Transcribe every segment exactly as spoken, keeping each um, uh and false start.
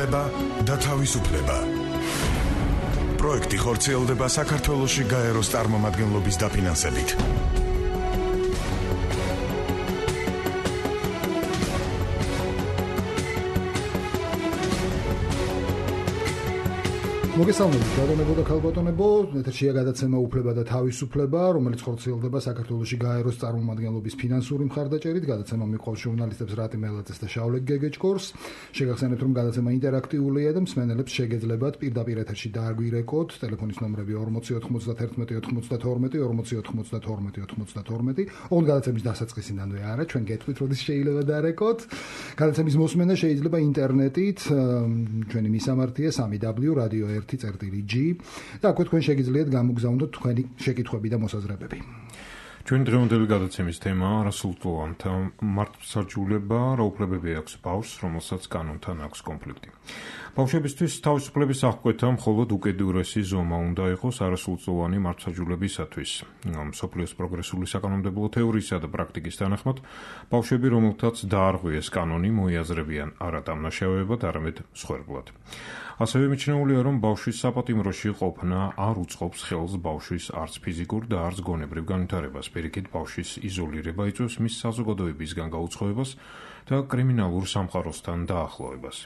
უფლება და თავისუფლება. პროექტი ხორციელდება საქართველოში გაეროს წარმომადგენლობის დაფინანსებით. მოგესალმებით, ბატონებო და ქალბატონებო, ეთერშია გადაცემა უფლება და თავისუფლება, რომელიც ხორციელდება საქართველოში გაეროს წარმომადგენლობის ფინანსური მხარდაჭერით. გადაცემა მიყვავს ჟურნალისტებს რატი მელაძეს და შავლე გეგეჭკორს. შეგახსენებთ, რომ გადაცემა ინტერაქტიულია და მსმენელებს შეგეძლებათ პირდაპირ ეთერში დააგვირეკოთ. ტელეფონის ნომრები ორმოცი ოთხმოცდათერთმეტი ოთხმოცდათორმეტი ორმოცი ოთხმოცდათორმეტი ოცდათორმეტი. ოღონდ გადაცემის დასაწყისიდანვე არა, ჩვენ გეტყვით, როდის შეიძლება დაარეკოთ. გადაცემის მოსმენა შეიძლება ინტერნეტით, ჩვენი მისამართია სამი დაბლიუ რადიო ერთი წერტილი ჯი და აქვე თქვენ შეგიძლიათ გამოგზავნოთ თქვენი შეკითხვები და მოსაზრებები. ჩვენი დღევანდელი გადაცემის თემაა არასრულწლოვანთა მართლმსაჯულება, რა უფლებები აქვს ბავშვს, რომელსაც კანონთან აქვს კონფლიქტი. ბავშვებისთვის თავისუფლების აღკვეთა მხოლოდ უკიდურესი ზომა უნდა იყოს არასრულწლოვანი მართლმსაჯულებისათვის. მსოფლიოს პროგრესული საკანონმდებლო თეორიისა და პრაქტიკის თანახმად, ბავშვები, რომელთაც დაარღვიეს კანონი, მოიაზრებიან არა დამნაშავეებად, არამედ მსხვერპლად. ასევე მიჩნეულია, რომ ბავშვის საპატიმროში ყოფნა არ უწყობს ხელს ბავშვის არც ფიზიკურ და არც გონებრივ განვითარებას. პირიქით, ბავშვის იზოლირება იწვევს მის საზოგადოებისგან გაუცხოებას და კრიმინალურ სამყაროსთან დაახლოებას.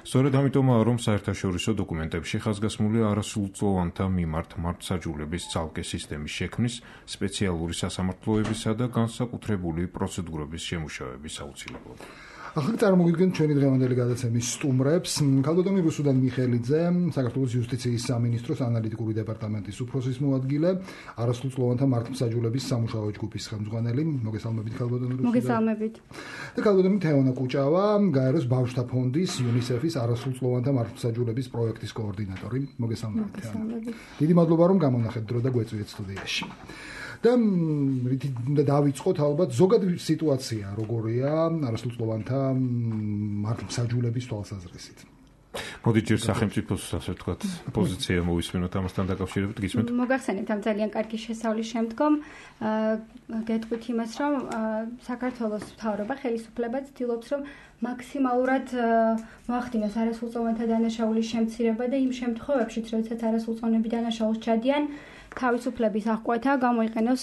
სწორედ ამიტომაა, რომ საერთაშორისო დოკუმენტებში ხაზგასმულია არასრულწლოვანთა მიმართ მართლმსაჯულების ცალკე სისტემის შექმნის, სპეციალური სასამართლოებისა და განსაკუთრებული პროცედურების შემუშავების აუცილებლობა. ახლა წარმოგიდგენთ ჩვენი დღევანდელი გადაცემის სტუმრებს. ქალბატონი რუსუდან მიხელიძე, საქართველოს იუსტიციის სამინისტროს ანალიტიკური დეპარტამენტის უფროსის მოადგილე, არასრულწლოვანთა მართლმსაჯულების სამუშაო ჯგუფის ხელმძღვანელი. მოგესალმებით, ქალბატონი რუსუდან. მოგესალმებით. და ქალბატონი თეონა კუჭავა, გაეროს ბავშვთა ფონდის იუნისეფის არასრულწლოვანთა მართლმსაჯულების პროექტის კოორდინატორი. მოგესალმებით. მოგესალმებით. დიდი მადლობა, რომ გამონახეთ დრო და გვეწვიეთ სტუდიაში. და რითი დავიწყოთ ალბათ ზოგადი სიტუაცია როგორია არასრულწლოვანთა მართლმსაჯულების თვალსაზრისით. მოდი ჯერ სახელმწიფოს ასე ვთქვათ პოზიცია მოვისმინოთ ამასთან დაკავშირებით, გისმენთ? მოგახსენებთ ამ ძალიან კარგი შესავლის შემდგომ გეტყვით იმას, რომ საქართველოს მთავრობა ხელისუფლება ცდილობს, რომ მაქსიმალურად მოახდინოს არასრულწლოვანთა დანაშაულის შემცირება და იმ შემთხვევებში, როდესაც არასრულწლოვნები დანაშაულს ჩადიან, თავისუფლების აღკვეთა გამოიყენოს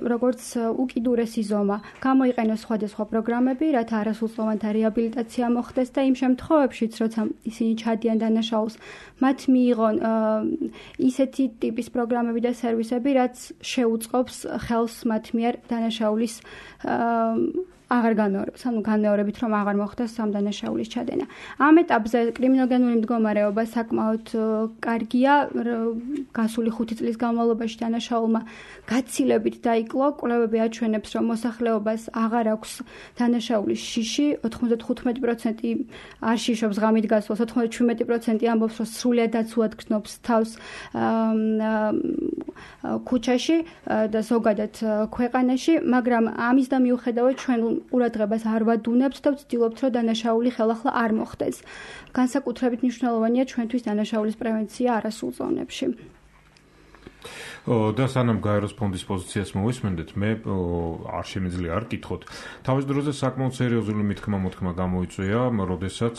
როგორც უკიდურესი ზომა, გამოიყენოს სხვადასხვა პროგრამები, რათა არასრულწლოვანთა რეაბილიტაცია მოხდეს და იმ შემთხვევებშიც, როცა ისინი ჩადიან დანაშაულს, მათ მიიღონ ისეთი ტიპის პროგრამები და სერვისები, რაც შეუწყობს ხელს მათ მიერ დანაშაულის აღარ განმეორებას, ანუ განმეორებით რომ აღარ მოხდეს ამ დანაშაულის ჩადენა. ამ ეტაპზე კრიმინოგენური მდგომარეობა საკმაოდ კარგია, გასული ხუთი წლის განმავლობაში დანაშაულმა გაცილებით დაიკლო, კვლევები აჩვენებს, რომ მოსახლეობას აღარ აქვს დანაშაულის შიში, ოთხმოცდათხუთმეტი პროცენტი არ შიშობს ღამით გასვლას, ოთხმოცდაშვიდმეტი პროცენტი ამბობს, რომ სრულიად დაცულად გრძნობს თავს ქუჩაში და ზოგადად ქვეყანაში, მაგრამ ამის და მიუხედავად ჩვენ ყურადღებას არ ვადუნებთ და ვცდილობთ, რომ დანაშაული ხელახლა არ მოხდეს. განსაკუთრებით მნიშვნელოვანია ჩვენთვის დანაშაულის პრევენცია არასრულწლოვნებში. და სანამ გაეროს ფონდის პოზიციას მოვისმენდეთ, მე არ შემიძლია არ კითხოთ. თავის დროზე საკმაოდ სერიოზული მithქმა-მოთქმა გამოიწვია, როდესაც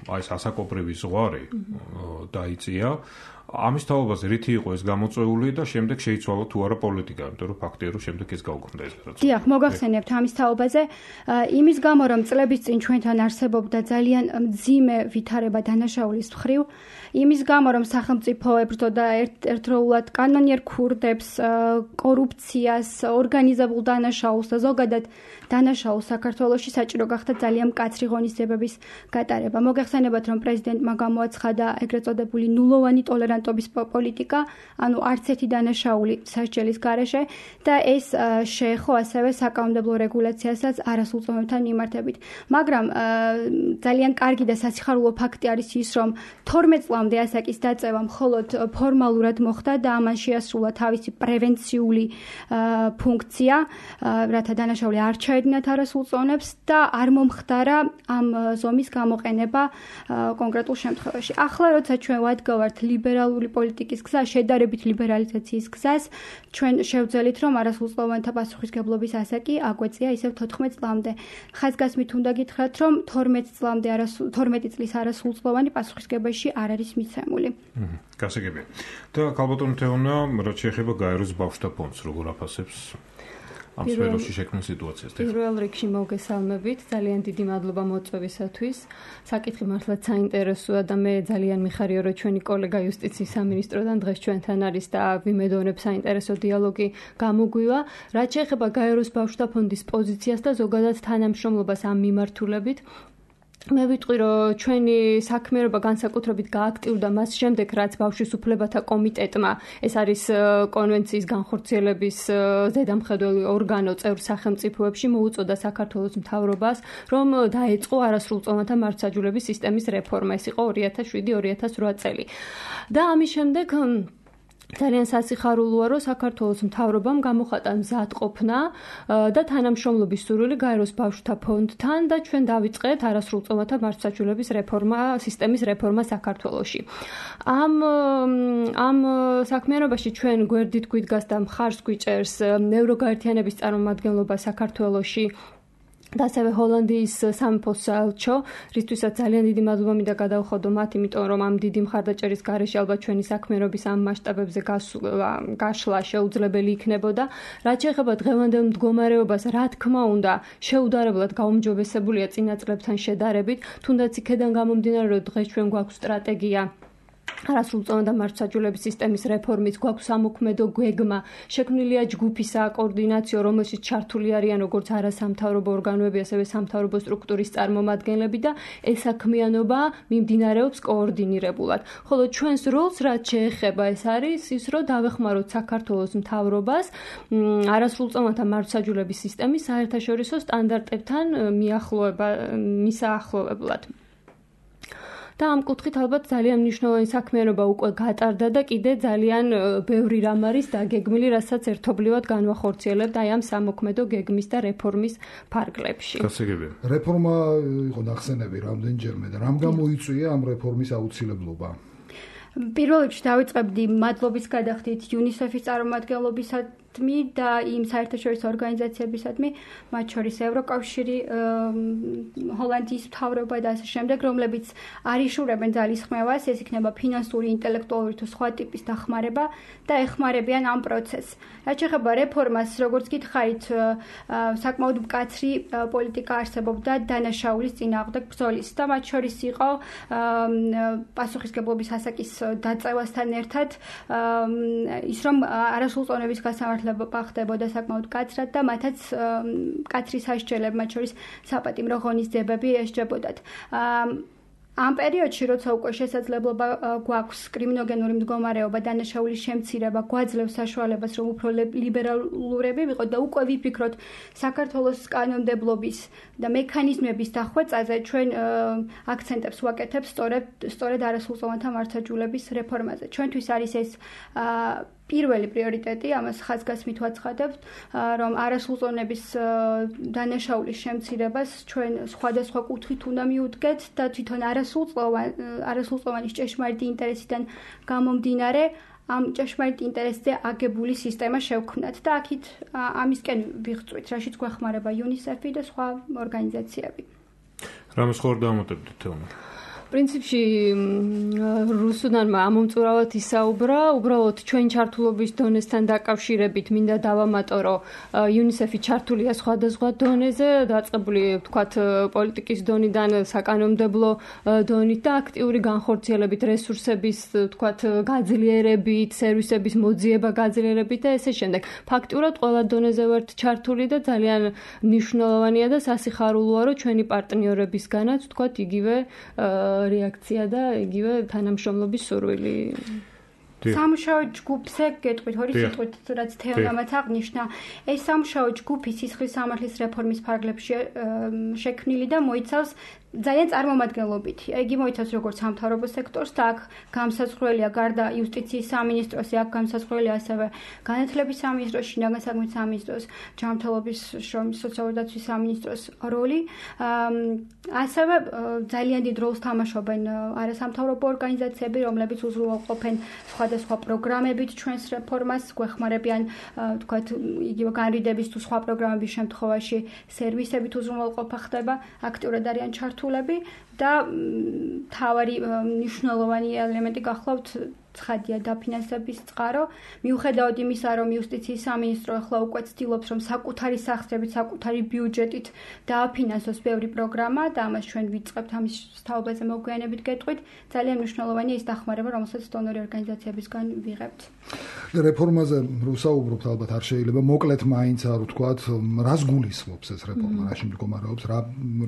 აი ეს ასაკობრივი ზღვარი დაიწია. ამის თაობაზე რითი იყო ეს გამოწვეული და შემდეგ შეიცვალა თუ არა პოლიტიკა, იმიტომ რომ ფაქტია, რომ შემდეგ ეს გაუქმდა ეს რაც. დიახ, მოგახსენებთ ამის თაობაზე, იმის გამო, რომ წლების წინ ჩვენთან არსებობდა ძალიან მძიმე ვითარება დანაშაულის მხრივ, იმის გამო, რომ სახელმწიფო ებრძოდა ერთდროულად კანონიერ ქურდებს, კორუფციას, ორგანიზებულ დანაშაულს და ზოგადად დანაშაულს საქართველოში საჭირო გახდა ძალიან მკაცრი ღონისძიებების გატარება. მოგახსენებათ, რომ პრეზიდენტმა გამოაცხადა ეგრეთ წოდებული ნულოვანი ტოლერანტობის პოლიტიკა, ანუ არც ერთი დანაშაული სასჯელის გარეშე და ეს შეეხო ასევე საკანონმდებლო რეგულაციასაც არასრულწლოვანებთან მიმართებით. მაგრამ ძალიან კარგი და სასიხარულო ფაქტი არის ის, რომ თორმეტ წლამდე ასაკის დაწევა მხოლოდ ფორმალურად მოხდა და ამან შეასრულა შეასრულა თავისი პრევენციული ფუნქცია, რათა დანაშაული არ ჩაედინათ არასრულ წონებს და არ მომხდარა ამ ზომის გამოყენება კონკრეტულ შემთხვევაში. ახლა როცა ჩვენ ვადგავართ ლიბერალური პოლიტიკის გზა, შედარებით ლიბერალიზაციის გზას, ჩვენ შევძელით, რომ არასრულწლოვანთა პასუხისგებლობის ასაკი აგვეწია ისევ თოთხმეტ წლამდე. ხაზგასმით უნდა გითხრათ, რომ თორმეტ წლამდე თორმეტი წლის არასრულწლოვანი პასუხისგებაში არ არის მიცემული. გასაგებია. და ქალბატონო თეონა, რაც შეეხება გაეროს ბავშვთა ფონდს, როგორ აფასებს ამ სფეროში შექმნილ სიტუაციას? პირველ რიგში მოგესალმებით, ძალიან დიდი მადლობა მოწვევისათვის. საკითხი მართლაც საინტერესოა და მე ძალიან მიხარია, რომ ჩვენი კოლეგა იუსტიციის სამინისტროდან დღეს ჩვენთან არის და ვიმედოვნებ საინტერესო დიალოგი გამოგვივა. რაც შეეხება გაეროს ბავშვთა ფონდის პოზიციას და ზოგადად თანამშრომლობას ამ მიმართულებით, მე ვიტყვი, რომ ჩვენი საქმიანობა განსაკუთრებით გააქტიურდა მას შემდეგ, რაც ბავშვის უფლებათა კომიტეტმა, ეს არის კონვენციის განხორციელების ზედამხედველი ორგანო წევრ სახელმწიფოებში, მოუწოდა საქართველოს მთავრობას, რომ დაეწყო არასრულწლოვანთა მართლმსაჯულების სისტემის რეფორმა. ეს იყო ორი ათას შვიდი ორი ათას რვა წელი. და ამის შემდეგ ძალიან სასიხარულოა, რომ საქართველოს მთავრობამ გამოხატა მზადყოფნა და თანამშრომლობის სურვილი გაეროს ბავშვთა ფონდთან და ჩვენ დავიწყეთ არასრულწლოვანთა მართლმსაჯულების რეფორმა, სისტემის რეფორმა საქართველოში. ამ ამ საქმიანობაში ჩვენ გვერდით გვიდგას და მხარს გვიჭერს ევროგაერთიანების წარმომადგენლობა საქართველოში და ასევე ჰოლანდიის სამეფო საელჩო, რისთვისაც ძალიან დიდი მადლობა მინდა გადავხოდო მათ, იმიტომ რომ ამ დიდი მხარდაჭერის გარეშე ალბათ ჩვენი საქმიანობის ამ მასშტაბებზე გაშლა შეუძლებელი იქნებოდა. რაც შეეხება დღევანდელ მდგომარეობას, რა თქმა უნდა, შეუდარებლად გაუმჯობესებულია წინა წლებთან შედარებით, თუნდაც იქედან გამომდინარე, რომ დღეს ჩვენ გვაქვს სტრატეგია არასრულწლოვანთა მართლმსაჯულების სისტემის რეფორმის, გვაქვს სამოქმედო გეგმა, შექმნილია ჯგუფი საკოორდინაციო, რომელშიც ჩართული არიან როგორც არასამთავრობო ორგანოები, ასევე სამთავრობო სტრუქტურის წარმომადგენლები და ეს საქმიანობა მიმდინარეობს კოორდინირებულად. ხოლო ჩვენს როლს რაც შეეხება, ეს არის ის, რომ დავეხმაროთ საქართველოს მთავრობას არასრულწლოვანთა მართლმსაჯულების სისტემის საერთაშორისო სტანდარტებთან მიახლოება, მისაახლოვებლად. და ამ კუთხით ალბათ ძალიან მნიშვნელოვანი საქმიანობა უკვე გატარდა და კიდე ძალიან ბევრი რამ არის დაგეგმილი, რასაც ერთობლივად განვახორციელებთ აი ამ სამოქმედო გეგმის და რეფორმის ფარგლებში. გასაგებია. რეფორმა იყო ნახსენები რამდენჯერმე და რამ გამოიწვია ამ რეფორმის აუცილებლობა? პირველ რიგში დავიწყებდი მადლობის გადახდით იუნისეფის წარმომადგენლობისადმი და იმ საერთაშორისო ორგანიზაციებისადმი, მათ შორის ევროკავშირი, ჰოლანდიის მთავრობა და ასე შემდეგ, რომლებიც არიშურებენ ძალისხმევას, ეს იქნება ფინანსური, ინტელექტუალური თუ სხვა ტიპის დახმარება და ეხმარებიან ამ პროცესს. რაც შეეხება რეფორმას, როგორც გითხარით, საკმაოდ მკაცრი პოლიტიკა არსებობდა დანაშაულის წინააღმდეგ ბრძოლის და მათ შორის იყო პასუხისგებლობის ასაკის დაწევასთან ერთად ის რომ არასრულწლოვნების გასამართლება ხდებოდა საკმაოდ მკაცრად და მათაც მკაცრი სასჯელები, მათ შორის საპატიმრო ღონისძიებები ესჯებოდათ. ამ პერიოდში, როცა უკვე შესაძლებლობა გვაქვს კრიმინოგენური მდგომარეობა, დანაშაულის შემცირება, გვაძლევს საშუალებას, რომ უფრო ლიბერალურები ვიყოთ და უკვე ვიფიქროთ საქართველოს კანონმდებლობის და მექანიზმების დახვეწაზე, ჩვენ აქცენტებს ვაკეთებთ სწორედ სწორედ არასრულწლოვანთა მართლმსაჯულების რეფორმაზე. ჩვენთვის არის ეს პირველი პრიორიტეტი, ამას ხაზგასმით ვაცხადებთ, რომ არასრულწლოვნების დანაშაულის შემცირებას ჩვენ სხვადასხვა კუთხით უნდა მიუდგეთ და თვითონ არასრულწლოვანის ჭეშმარიტი ინტერესიდან გამომდინარე ამ ჭეშმარიტ ინტერესზე აგებული სისტემა შევქმნათ და აქეთ ამისკენ ვიღწვით, რაშიც გვეხმარება იუნისეფი და სხვა ორგანიზაციები. რამე სხვა დამოტებდით თეონა? პრინციპში რუსუდანმა ამომწურავად ისაუბრა, უბრალოდ ჩვენ ჩართულობის დონესთან დაკავშირებით მინდა დავამატო, რომ იუნისეფი ჩართულია სხვადასხვა დონეზე, დაწყებული ვთქვათ პოლიტიკის დონიდან საკანონმდებლო დონით და აქტიური განხორციელებით, რესურსების ვთქვათ გაძლიერებით, სერვისების მოძიება გაძლიერებით და ესე შემდეგ. ფაქტურად ყველა დონეზე ვართ ჩართული და ძალიან მნიშვნელოვანია და სასიხარულოა, რომ ჩვენი პარტნიორებისგანაც ვთქვათ იგივე რეაქცია და იგივე თანამშრომლობის სურვილი. სამუშაო ჯგუფზე გეტყვით ორი სიტყვით, რაც თეონამაც აღნიშნა. ეს სამუშაო ჯგუფი სისხლის სამართლის რეფორმის ფარგლებში შექმნილი და მოიცავს ძალიან წარმომადგენლობითი. იგი მოიცავს როგორც სამთავრობო სექტორს და აქ გამსაზღვრელია გარდა იუსტიციის სამინისტროს, აქ გამსაზღვრელია ასევე განათლების სამინისტროს, შინაგან საქმეთა სამინისტროს, ჯანმრთელობის შრომის სოციალური დაცვის სამინისტროს როლი. ასევე ძალიან დიდ როლს თამაშობენ არასამთავრობო ორგანიზაციები, რომლებიც უზრუნველყოფენ სხვადასხვა პროგრამებით ჩვენს რეფორმას, გვეხმარებიან თქვათ იგივე განრიდების თუ სხვა პროგრამების შემთხვევაში სერვისებით უზრუნველყოფა ხდება, აქტიურად არიან ჩართულები და მთავარი მნიშვნელოვანი ელემენტი გახლავთ ცხადია დაფინანსების წყარო. მიუხედავად იმისა, რომ იუსტიციის სამინისტრო ახლა უკვე ცდილობს, რომ საკუთარი სახსრებით, საკუთარი ბიუჯეტით დააფინანსოს ბევრი პროგრამა და ამას ჩვენ ვიწყებთ ამის თაობაზე მოგვიანებით გეტყვით, ძალიან მნიშვნელოვანია ის დახმარება, რომელსაც დონორი ორგანიზაციებისგან ვიღებთ. რეფორმაზე ვსაუბრობთ, ალბათ არ შეიძლება მოკლედ მაინც არ ვთქვათ, რას გულისხმობს ეს რეფორმა, რაში მდგომარეობს, რა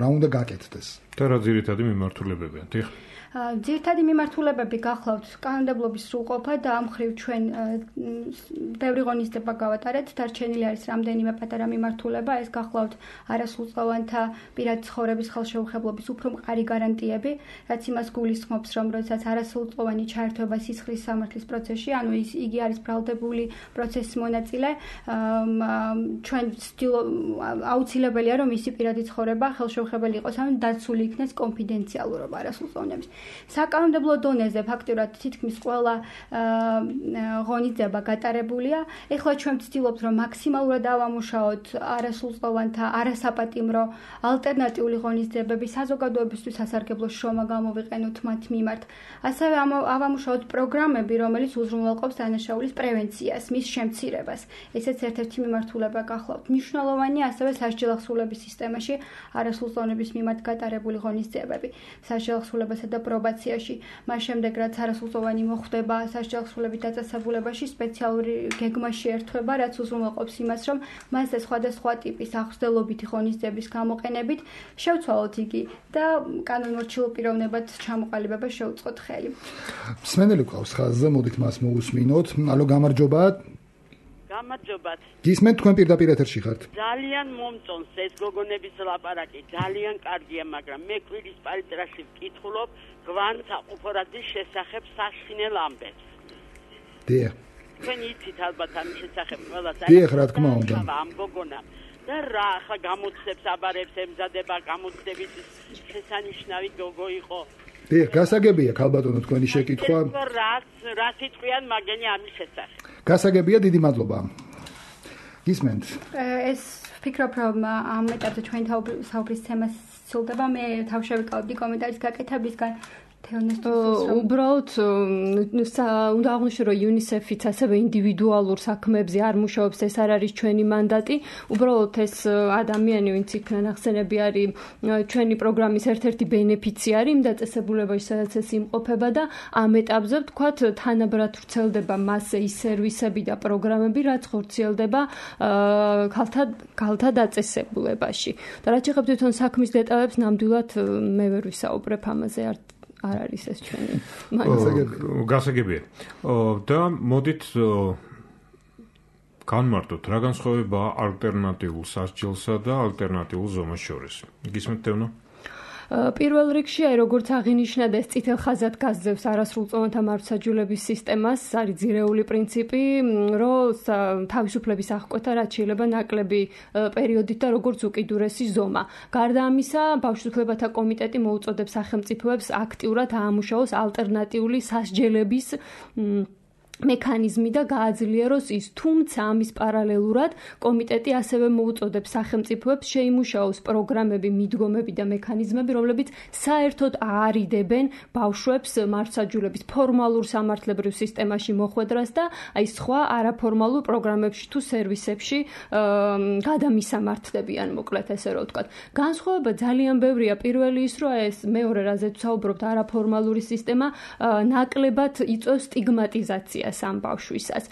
რა უნდა გაკეთდეს. და რა ძირითადი მიმართულებებია? დიახ. ძირითადი მიმართულებები გახლავთ კანონმდებლობის სრულყოფა და ამ მხრივ ჩვენ ბევრი ღონისძიება გავატარეთ. დარჩენილი არის რამდენიმე პატარა მიმართულება, ეს გახლავთ არასრულწლოვანთა პირადი ცხოვრების ხელშეუხებლობის უფრო მყარი გარანტიები, რაც იმას გულისხმობს, რომ როდესაც არასრულწლოვანი ჩაერთვება სისხლის სამართლის პროცესში, ანუ ის იგი არის ბრალდებული პროცესის მონაწილე, ჩვენ აუცილებელია, რომ მისი პირადი ცხოვრება ხელშეუხებელი იყოს, ანუ დაცული იქნეს კონფიდენციალურობა არასრულწლოვანების. საკანონმდებლო დონეზე ფაქტურად თითქმის ყველა ღონისძიება გატარებულია. ეხლა ჩვენ ვცდილობთ, რომ მაქსიმალურად ავამუშაოთ არასრულწლოვანთა არასაპატიმრო ალტერნატიული ღონისძიებები, საზოგადოებისთვის სასარგებლო შრომა გამოვიყენოთ მათ მიმართ. ასევე ავამუშაოთ პროგრამები, რომელიც უზრუნველყოფს დანაშაულის პრევენციას, მის შემცირებას. ესეც ერთ-ერთი მიმართულება გახლავთ. მნიშვნელოვანია ასევე სასჯელ ახსულების სისტემაში არასრულწლოვანების მიმართ გატარებული ღონისძიებები. სასჯელ ახსულებასა და პრობაციაში, მას შემდეგ რაც არასრულწლოვანი მოხვდება სასჯელ ახსულებით დაწესებულებაში, სპეციალური გეგმა შეერთვება, რაც უზრუნველყოფს იმას, რომ მასზე სხვადასხვა ტიპის აღსდელობითი ღონისძიების გამოყენებით შევცვალოთ იგი და კანონმორჩილ პიროვნებად ჩამოყალიბება შეუწყოთ ხელი. მსმენელი ყავს ხაზზე, მოდით მას მოусმინოთ. ალო, გამარჯობა. გამარჯობათ. გისმენთ, თქვენ პირდაპირ ეთერში ხართ. ძალიან მომწონს ეს გოგონების ლაპარაკი, ძალიან კარგია, მაგრამ მე კვირის პარიტრაში ვკითხულობ გვანც აყუფორაძის შესახებ საშინელ ამბებს. დიახ. თქვენ იცით ალბათ ამის შესახებ ყველას. დიახ, რა თქმა უნდა. ამ გოგონამ და რა ახლა გამოცდებს აბარებს ემზადება, გამოცდების შესანიშნავი გოგო იყო. დიახ, გასაგებია ქალბატონო თქვენი შეკითხვა. რაც რაც იტყვიან მაგენი ამის შესახებ. გასაგებია, დიდი მადლობა. გისმენთ. ეს ვფიქრობ, რომ ამ ეტაპზე ჩვენი საუბრის თემა სრულდება. მე თავშევიკავებდი კომენტარის გაკეთებისგან. უბრალოდ უნდა აღვნიშნო, რომ იუნისეფიც ასევე ინდივიდუალურ საქმეებზე არ მუშაობს, ეს არ არის ჩვენი მანდატი. უბრალოდ ეს ადამიანი, ვინც იქნა ნახსენები, არის ჩვენი პროგრამის ერთ-ერთი ბენეფიციარი იმ დაწესებულებაში, სადაც ეს იმყოფება და ამ ეტაპზე ვთქვათ, თანაბრად ვრცელდება მასზე ის სერვისები და პროგრამები, რაც ხორციელდება ქალთა ქალთა დაწესებულებაში. და რაც შეეხება თვითონ საქმის დეტალებს, ნამდვილად მე ვერ ვისაუბრებ ამაზე არ არ არის ეს ჩვენი გასაგებია. და მოდით განმარტოთ, რა განსხვავებაა ალტერნატიულ სასჯელსა და ალტერნატიულ ზომას შორის. გისმენთ თევნო? პირველ რიგში, აი როგორც აღინიშნა და ეს წითელ ხაზად გასძევს არასრულწლოვანთა მართლმსაჯულების სისტემას, არის ძირეული პრინციპი, რომ თავისუფლების აღკვეთა რაც შეიძლება ნაკლები პერიოდით და როგორც უკიდურესი ზომა. გარდა ამისა, ბავშვთუფლებათა კომიტეტი მოუწოდებს სახელმწიფოებს აქტიურად აამუშაოს ალტერნატიული სასჯელების მექანიზმი და გააძლიეროს ის, თუმცა ამის პარალელურად კომიტეტი ასევე მოუწოდებს სახელმწიფოებს შეიმუშაოს პროგრამები, მიდგომები და მექანიზმები, რომლებიც საერთოდ აარიდებენ ბავშვებს მართლმსაჯულების ფორმალურ სამართლებრივ სისტემაში მოხვედრას და აი სხვა არაფორმალურ პროგრამებში თუ სერვისებში გადამისამართლებიან, მოკლედ ესე რომ ვთქვათ. განსხვავება ძალიან ბევრია. პირველი ის, რომ ეს მეორე რაზეც ვსაუბრობთ, არაფორმალური სისტემა ნაკლებად იწვევს სტიგმატიზაციას ამ ბავშვისას.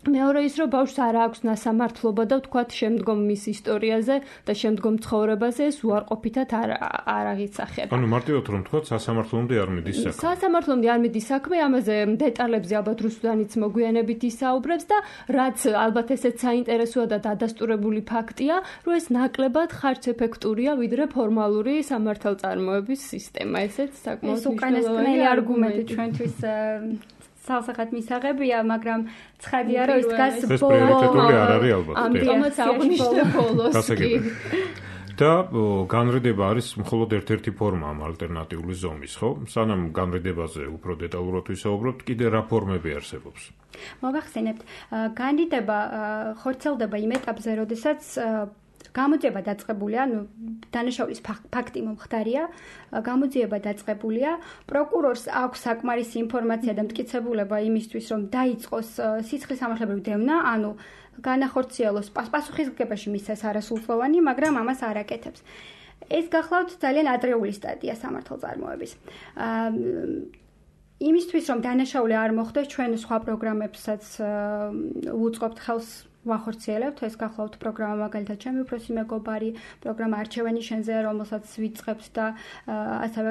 მეორე ის რომ ბავშვს არ აქვს ნასამართლობა და ვთქვათ შემდგომ მის ისტორიაზე და შემდგომ ცხოვრებაზე ეს უარყოფითად არ არ აღიცხება. ანუ მარტივად რომ ვთქვათ სასამართლომდე არ მიდის საქმე. სასამართლომდე არ მიდის საქმე, ამაზე დეტალებზე ალბათ რუსუდანიც მოგვიანებით ისაუბრებს და რაც ალბათ ესეც საინტერესოა და დადასტურებული ფაქტია, რომ ეს ნაკლებად ხარჯეფექტურია ვიდრე ფორმალური სამართალწარმოების სისტემა. ესეც საკმაოდ უკანასკნელი არგუმენტი ჩვენთვის სასახად მისაღებია, მაგრამ ცხადია, რომ ის დგას ბოლო არ არის ალბათ. ამიტომაც აღნიშნე ბოლოს. და განრიდება არის მხოლოდ ერთ-ერთი ფორმა ამ ალტერნატიული ზომის, ხო? სანამ განრიდებაზე უფრო დეტალურად ვისაუბრებთ, კიდე რა ფორმები არსებობს? მოგახსენებთ, განრიდება ხორციელდება იმ ეტაპზე, როდესაც გამოძიება დაწყებულია, ну, დანაშაულის ფაქტი მომხდარია, გამოძიება დაწყებულია, პროკურორს აქვს საკმარისი ინფორმაცია და მტკიცებულება იმისთვის, რომ დაიწყოს სისხლის სამართლებრივი დევნა, ანუ განახორციელოს პასუხისმგებაში მისცეს არასრულწლოვანი, მაგრამ ამას არ აკეთებს. ეს გახლავთ ძალიან ადრეული სტადია სამართალწარმოების. იმისთვის, რომ დანაშაული არ მოხდეს, ჩვენ სხვა პროგრამებსაც ვუწყობთ ხელს ვახორციელებთ, ეს გახლავთ პროგრამა მაგალითად ჩემი უფროსი მეგობარი, პროგრამა არჩევანი შენზე, რომელსაც ვიწყებთ და ასევე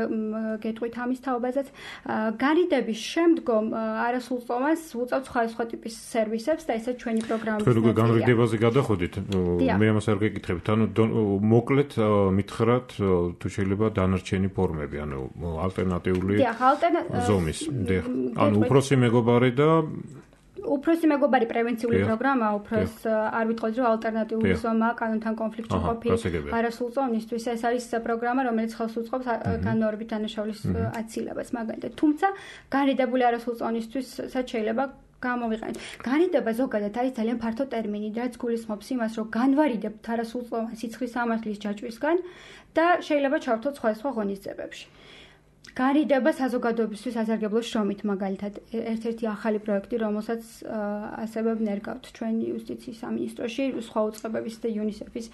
გეტყვით ამის თაობაზეც. განრიდების შემდგომ არასრულწლოვანს ვუწევთ სხვადასხვა ტიპის სერვისებს და ესეც ჩვენი პროგრამის ნაწილია. თქვენ განრიდებაზე გადაходით, მე ამას არ გეკითხებით, ანუ მოკლედ მითხრათ თუ შეიძლება დანარჩენი ფორმები, ანუ ალტერნატიული ზომის. ანუ უფროსი მეგობარი და უფროსი მეგობარი პრევენციული პროგრამა, უფროს არ ვიტყოდი რომ ალტერნატიული ზომა კანონთან კონფლიქტში ყოფილი არასრულწლოვანისთვის, ეს არის პროგრამა, რომელიც ხელს უწყობს განმეორებით დანაშაულის აცილებას მაგალითად. თუმცა განრიდებული არასრულწლოვანისთვისაც შეიძლება გამოვიყენოთ. განრიდება ზოგადად არის ძალიან ფართო ტერმინი, რაც გულისხმობს იმას, რომ განვარიდებთ არასრულწლოვან სისხლის სამართლის ჯაჭვისგან და შეიძლება ჩავთვალოთ სხვადასხვა ღონისძიებებში. განრიდება საზოგადოებისთვის სასარგებლო შრომით მაგალითად ერთ-ერთი ახალი პროექტი, რომელსაც ასევე ვნერგავთ ჩვენი იუსტიციის სამინისტროში სხვა უწყებების და იუნისეფის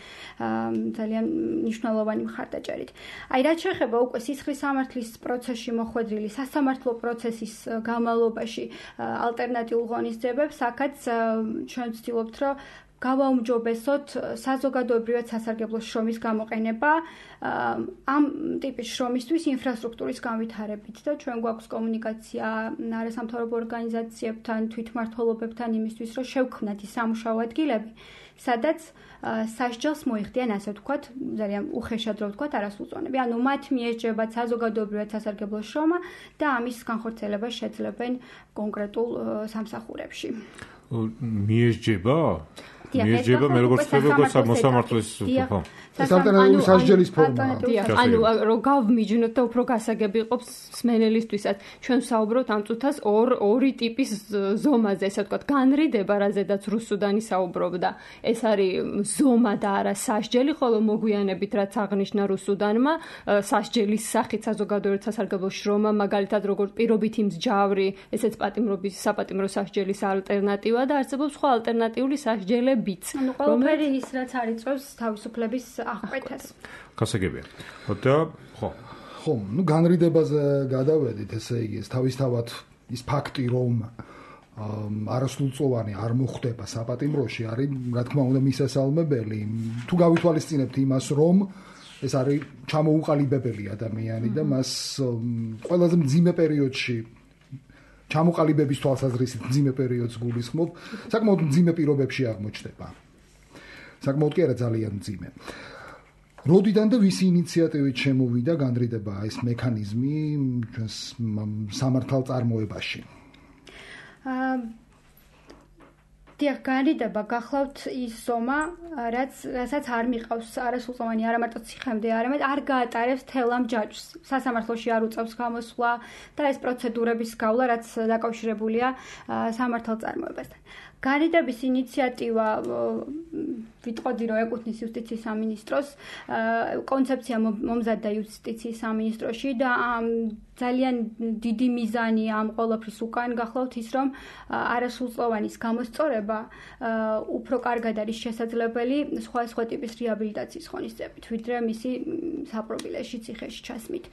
ძალიან მნიშვნელოვანი მხარდაჭერით. აი რაც შეეხება უკვე სისხლის სამართლის პროცესში მოხვედრილი სასამართლო პროცესის განმავლობაში ალტერნატიულ ღონისძიებებს, აქაც ჩვენ ვცდილობთ, რომ გავაუმჯობესოთ საზოგადოებრივად სასარგებლო შრომის გამოყენება ამ ტიპის შრომისთვის ინფრასტრუქტურის განვითარებით და ჩვენ გვაქვს კომუნიკაცია არასამთავრობო ორგანიზაციებთან, თვითმმართველობებთან იმისთვის, რომ შევქმნათ ის სამუშაო ადგილები, სადაც სასჯელს მოიხდიან, ასე ვთქვათ, ძალიან უხეშად რო ვთქვათ, არასრულწლოვანები. ანუ მათ მიესჯებათ საზოგადოებრივად სასარგებლო შრომა და ამის განხორციელებას შეძლებენ კონკრეტულ სამსახურებში. მიესჯება? მიესჯება მე როგორც ვთქვი, როგორც მოსამართლის ხო. ეს ალტერნატიული სასჯელის ფორმაა. ანუ რომ გავმიჯნოთ და უფრო გასაგები იყოს მსმენელისთვისაც. ჩვენ ვსაუბრობთ ამ წუთას ორ ორი ტიპის ზომაზე, ესე ვთქვათ, განრიდება, რაზედაც რუსუდანი საუბრობდა. ეს არის ზომა და არა სასჯელი, ხოლო მოგვიანებით რაც აღნიშნა რუსუდანმა, სასჯელის სახით საზოგადოებრივ სასარგებლო შრომა, მაგალითად როგორც პირობითი მსჯავრი, ესეც პატიმრობის საპატიმრო სასჯელის ალტერნატივა და არსებობს სხვა ალტერნატიული სასჯელები. ანუ ყველაფერი ის რაც არიწევს თავისუფლების აღკვეთას. გასაგებია. და ხო. ხო, ну განრიდებაზე გადავედით, ესე იგი, ეს თავისთავად ის ფაქტი, რომ არასრულწლოვანი არ მოხდება საპატიმროში, არის რა თქმა უნდა მისასალმებელი. თუ გავითვალისწინებთ იმას, რომ ეს არის ჩამოუყალიბებელი ადამიანი და მას ყველაზე მძიმე პერიოდში ჩამოყალიბების თვალსაზრისით მძიმე პერიოდს გულისხმობ, საკმაოდ მძიმე პირობებში აღმოჩნდება. საკმაოდ კი არა ძალიან მძიმე. როდიდან და ვისი ინიციატივით შემოვიდა განრიდება ეს მექანიზმი ჩვენს სამართალწარმოებაში? აა დიახ, განრიდება გახლავთ ის ზომა, რაც რასაც არ მიყავს არასრულწლოვანი არა მარტო ციხემდე, არამედ არ გაატარებს თელ ამ ჯაჭვს. სასამართლოში არ უწევს გამოსვლა და ეს პროცედურების გავლა, რაც დაკავშირებულია სამართალწარმოებასთან. განრიდების ინიციატივა ვიტყოდი, რომ ეკუთვნის იუსტიციის სამინისტროს, კონცეფცია მომზადდა იუსტიციის სამინისტროში და ძალიან დიდი მიზანი ამ ყველაფრის უკან გახლავთ ის, რომ არასრულწლოვანის გამოსწორება უფრო კარგად არის შესაძლებელი სხვადასხვა ტიპის რეაბილიტაციის ღონისძიებით, ვიდრე მისი საპრობილეში ციხეში ჩასმით.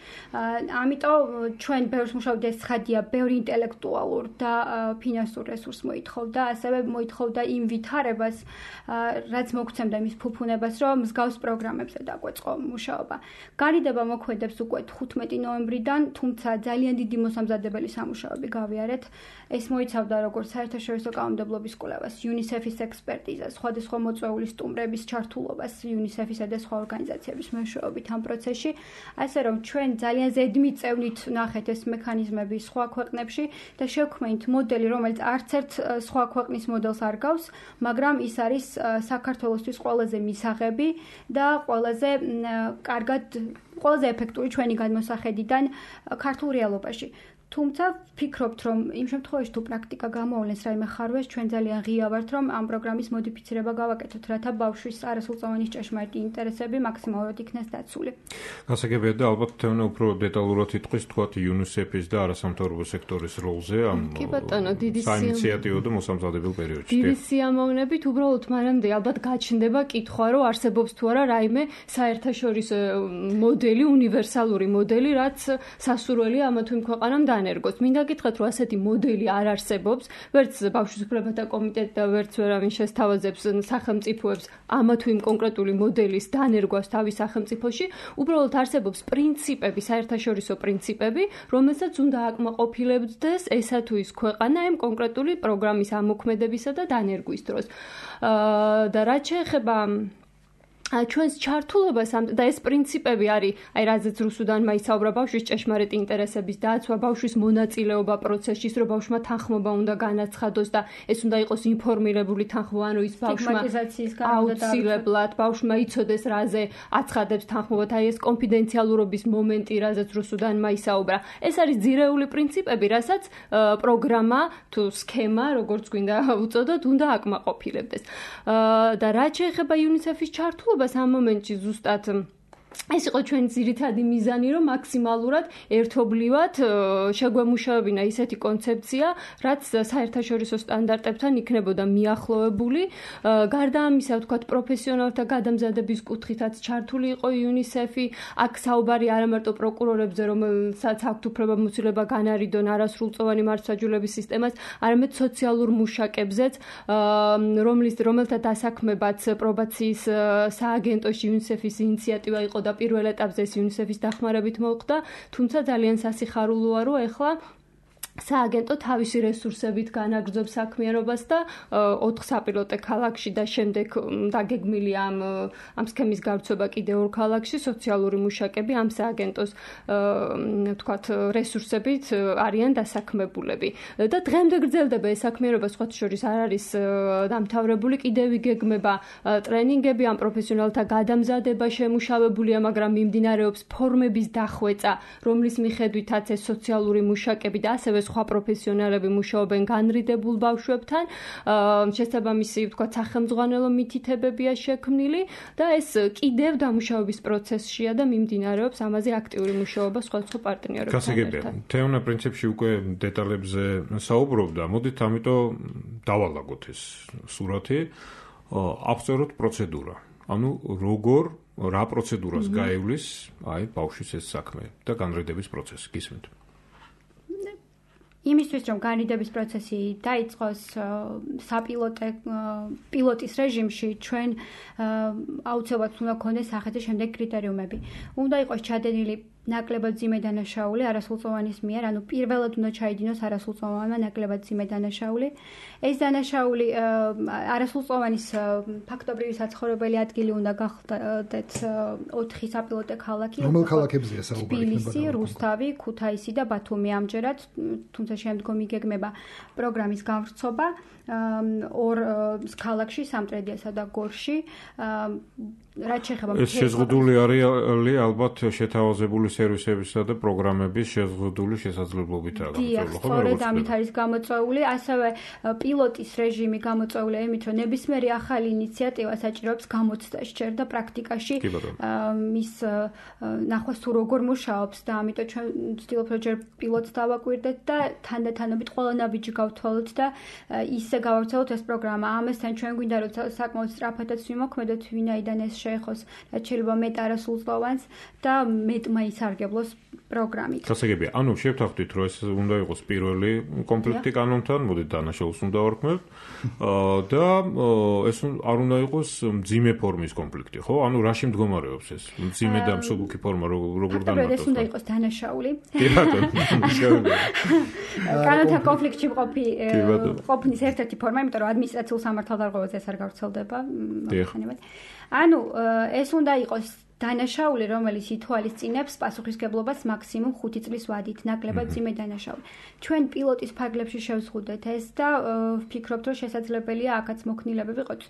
ამიტომ ჩვენ ბევრს მუშაობთ, ეს ცხადია, ბევრი ინტელექტუალურ და ფინანსურ რესურს მოითხოვდა, ასევე ასევე მოითხოვდა იმ ვითარებას, რაც მოგცემდა იმის ფუფუნებას, რომ მსგავს პროგრამებზე დაგვეწყო მუშაობა. განიდება მოქმედებს უკვე თხუთმეტი ნოემბრიდან, თუმცა ძალიან დიდი მოსამზადებელი სამუშაოები გავიარეთ. ეს მოიცავდა როგორც საერთაშორისო კანონმდებლობის კვლევას, UNICEF-ის ექსპერტიზას, სხვადასხვა მოწვეული სტუმრების ჩართულობას UNICEF-ისა და სხვა ორგანიზაციების მეშვეობით ამ პროცესში, ასე რომ ჩვენ ძალიან ზედმით წევნით ნახეთ ეს მექანიზმები სხვა ქვეყნებში და შევქმნით მოდელი, რომელიც არც ერთ სხვა ქვეყნის მოდელს არ გავს, მაგრამ ის არის საქართველოსთვის ყველაზე მისაღები და ყველაზე კარგად, ყველაზე ეფექტური ჩვენი გადმოსახედიდან ქართულ რეალობაში. თუმცა ვფიქრობთ, რომ იმ შემთხვევაში თუ პრაქტიკა გამოავლენს რაიმე ხარვეს, ჩვენ ძალიან ღია ვართ, რომ ამ პროგრამის მოდიფიცირება გავაკეთოთ, რათა ბავშვის არასრულწლოვანი ჭეშმარიტი ინტერესები მაქსიმალურად იქნეს დაცული. გასაგებია და ალბათ თემა უფრო დეტალურად იტყვის თქვათ UNICEF-ის და არასამთავრობო სექტორის როლზე ამ საინიციატივო და მოსამზადებელ პერიოდში. დიდი სიამოვნებით უბრალოდ მანამდე ალბათ გაჩნდება კითხვა, რომ არსებობს თუ არა რაიმე საერთაშორისო მოდელი, უნივერსალური მოდელი, რაც სასურველია ამა თუ იმ ქვეყანამ დაანერგოს. მინდა გითხრათ, რომ ასეთი მოდელი არ არსებობს, ვერც ბავშვის უფლებათა კომიტეტი და ვერც ვერავინ შესთავაზებს სახელმწიფოებს ამა თუ იმ კონკრეტული მოდელის დაანერგვას თავის სახელმწიფოში, უბრალოდ არსებობს პრინციპები, საერთაშორისო პრინციპები, რომელსაც უნდა აკმაყოფილებდეს ესა თუ ის ქვეყანა ამ კონკრეტული პროგრამის ამოქმედებისა და დაანერგვის დროს. და რაც შეეხება ჩვენს ჩართულობას და ეს პრინციპები არის, აი რაზეც რუსუდანმა ისაუბრა, ბავშვის ჭეშმარიტი ინტერესების დაცვა, ბავშვის მონაწილეობა პროცესში, რომ ბავშვმა თანხმობა უნდა განაცხადოს და ეს უნდა იყოს ინფორმირებული თანხმობა, ანუ ის ბავშვმა აუცილებლად ბავშვმა იცოდეს, რაზე აცხადებს თანხმობა, აი ეს კონფიდენციალურობის მომენტი, რაზეც რუსუდანმა ისაუბრა. ეს არის ძირეული პრინციპები, რასაც პროგრამა თუ სქემა, როგორც გვინდა უწოდოთ, უნდა აკმაყოფილებდეს. და რაც შეეხება UNICEF-ის ჩართულობას ამ მომენტში ზუსტად ეს იყო ჩვენი ძირითადი მიზანი, რომ მაქსიმალურად ერთობლივად შეგვემუშავებინა ისეთი კონცეფცია, რაც საერთაშორისო სტანდარტებთან იქნებოდა მიახლოებული. გარდა ამისა, ვთქვათ, პროფესიონალთა გადამზადების კუთხითაც ჩართული იყო UNICEF-ი. აქ საუბარი არა მარტო პროკურორებზე, რომელსაც აქვთ უფლებამოსილება განარიდონ არასრულწლოვანი მართლმსაჯულების სისტემას, არამედ სოციალურ მუშაკებზეც, რომლის რომელთა დასაქმებაც პრობაციის სააგენტოში UNICEF-ის ინიციატივა იყო და პირველ ეტაპზე UNICEF-ის დახმარებით მოხდა, თუმცა ძალიან სასიხარულოა, რომ ეხლა სააგენტო თავისი რესურსებით განაგრძობს საქმიანობას და ოთხ საპილოტე ქალაქში და შემდეგ დაგეგმილია ამ ამ სქემის გავრცობა კიდევ ორ ქალაქში სოციალური მუშაკები ამ სააგენტოს ვთქვათ რესურსებით არიან დასაქმებულები და დღემდე გრძელდება ეს საქმიანობა, სხვათა შორის არ არის დამთავრებული, კიდევ იგეგმება ტრენინგები, ამ პროფესიონალთა გადამზადება შემუშავებულია, მაგრამ მიმდინარეობს ფორმების დახვეწა, რომლის მიხედვითაც ეს სოციალური მუშაკები და ასევე სხვა პროფესიონალები მუშაობენ განრიდებულ ბავშვებთან, შესაბამისი, ვთქვათ, სახელმძღვანელო მითითებებია შექმნილი და ეს კიდევ დამუშავების პროცესშია და მიმდინარეობს ამაზე აქტიური მუშაობა სხვადასხვა პარტნიორებთან. გასაგებია, თეონა პრინციპში უკვე დეტალებზე საუბრობდა, მოდით ამიტომ დავალაგოთ ეს სურათი, აღწეროთ პროცედურა. ანუ როგორ რა პროცედურას გაივლის აი ბავშვის ეს საქმე და განრიდების პროცესი, გისმენთ? იმისთვის, რომ განრიდების პროცესი დაიწყოს საპილოტე პილოტის რეჟიმში, ჩვენ აუცილებლად უნდა გქონდეს სახეზე შემდეგ კრიტერიუმები. უნდა იყოს ჩადენილი ნაკლებად ძიმე დანაშაული არასრულწლოვანის მიერ, ანუ პირველად უნდა ჩაიდინოს არასრულწლოვანმა ნაკლებად ძიმე დანაშაული. ეს დანაშაული არასრულწლოვანის ფაქტობრივი საცხოვრებელი ადგილი უნდა გახდეთ ოთხი საპილოტე ქალაქი. რომელ ქალაქებზეა საუბარი? თბილისი, რუსთავი, ქუთაისი და ბათუმი ამჯერად, თუმცა შემდგომ იგეგმება პროგრამის გამვრცობა ორ ქალაქში, სამტრედიასა და გორში. რაც შეეხება ეს შეზღუდული არის ალბათ შეთავაზებული სერვისებისა და პროგრამების შეზღუდული შესაძლებლობითაა გამოწვეული, ხო? სწორედ ამით არის გამოწვეული, ასევე პილოტის რეჟიმი გამოწვეულია იმით, რომ ნებისმიერი ახალი ინიციატივა საჭიროებს გამოცდას ჯერ და პრაქტიკაში მის ნახვას თუ როგორ მუშაობს და ამიტომ ჩვენ ვცდილობთ რომ ჯერ პილოტს დავაკვირდეთ და თანდათანობით ყველა ნაბიჯი გავთვალოთ და ისე გავავრცელოთ ეს პროგრამა. ამასთან ჩვენ გვინდა რომ საკმაოდ სწრაფადაც ვიმოქმედოთ, ვინაიდან ეს შეეხოს რაც შეიძლება მეტ არასრულწლოვანს და მეტმა ის სასარგებლოს პროგრამით. გასაგებია, ანუ შევთანხმდით, რომ ეს უნდა იყოს პირველი კონფლიქტი კანონთან, მოდით დანაშაულს უნდა ვარქმევთ და ეს არ უნდა იყოს მძიმე ფორმის კონფლიქტი, ხო? ანუ რაში მდგომარეობს ეს? მძიმე და მსუბუქი ფორმა როგორ განმარტოს? ეს უნდა იყოს დანაშაული. კი ბატონო, შეგვიძლია. კანონთან კონფლიქტში მყოფი ყოფნის ერთ-ერთი ფორმა, იმიტომ რომ ადმინისტრაციულ სამართალდარღვევაზე ეს არ გავრცელდება. ანუ ეს უნდა იყოს დანაშაული, რომელიც ითვალისწინებს პასუხისგებლობას მაქსიმუმ ხუთი წლის ვადით, ნაკლებად მძიმე დანაშაული. ჩვენ პილოტის ფარგლებში შევზღუდეთ ეს და ვფიქრობთ, რომ შესაძლებელია აქაც მოქნილებები ვიყოთ.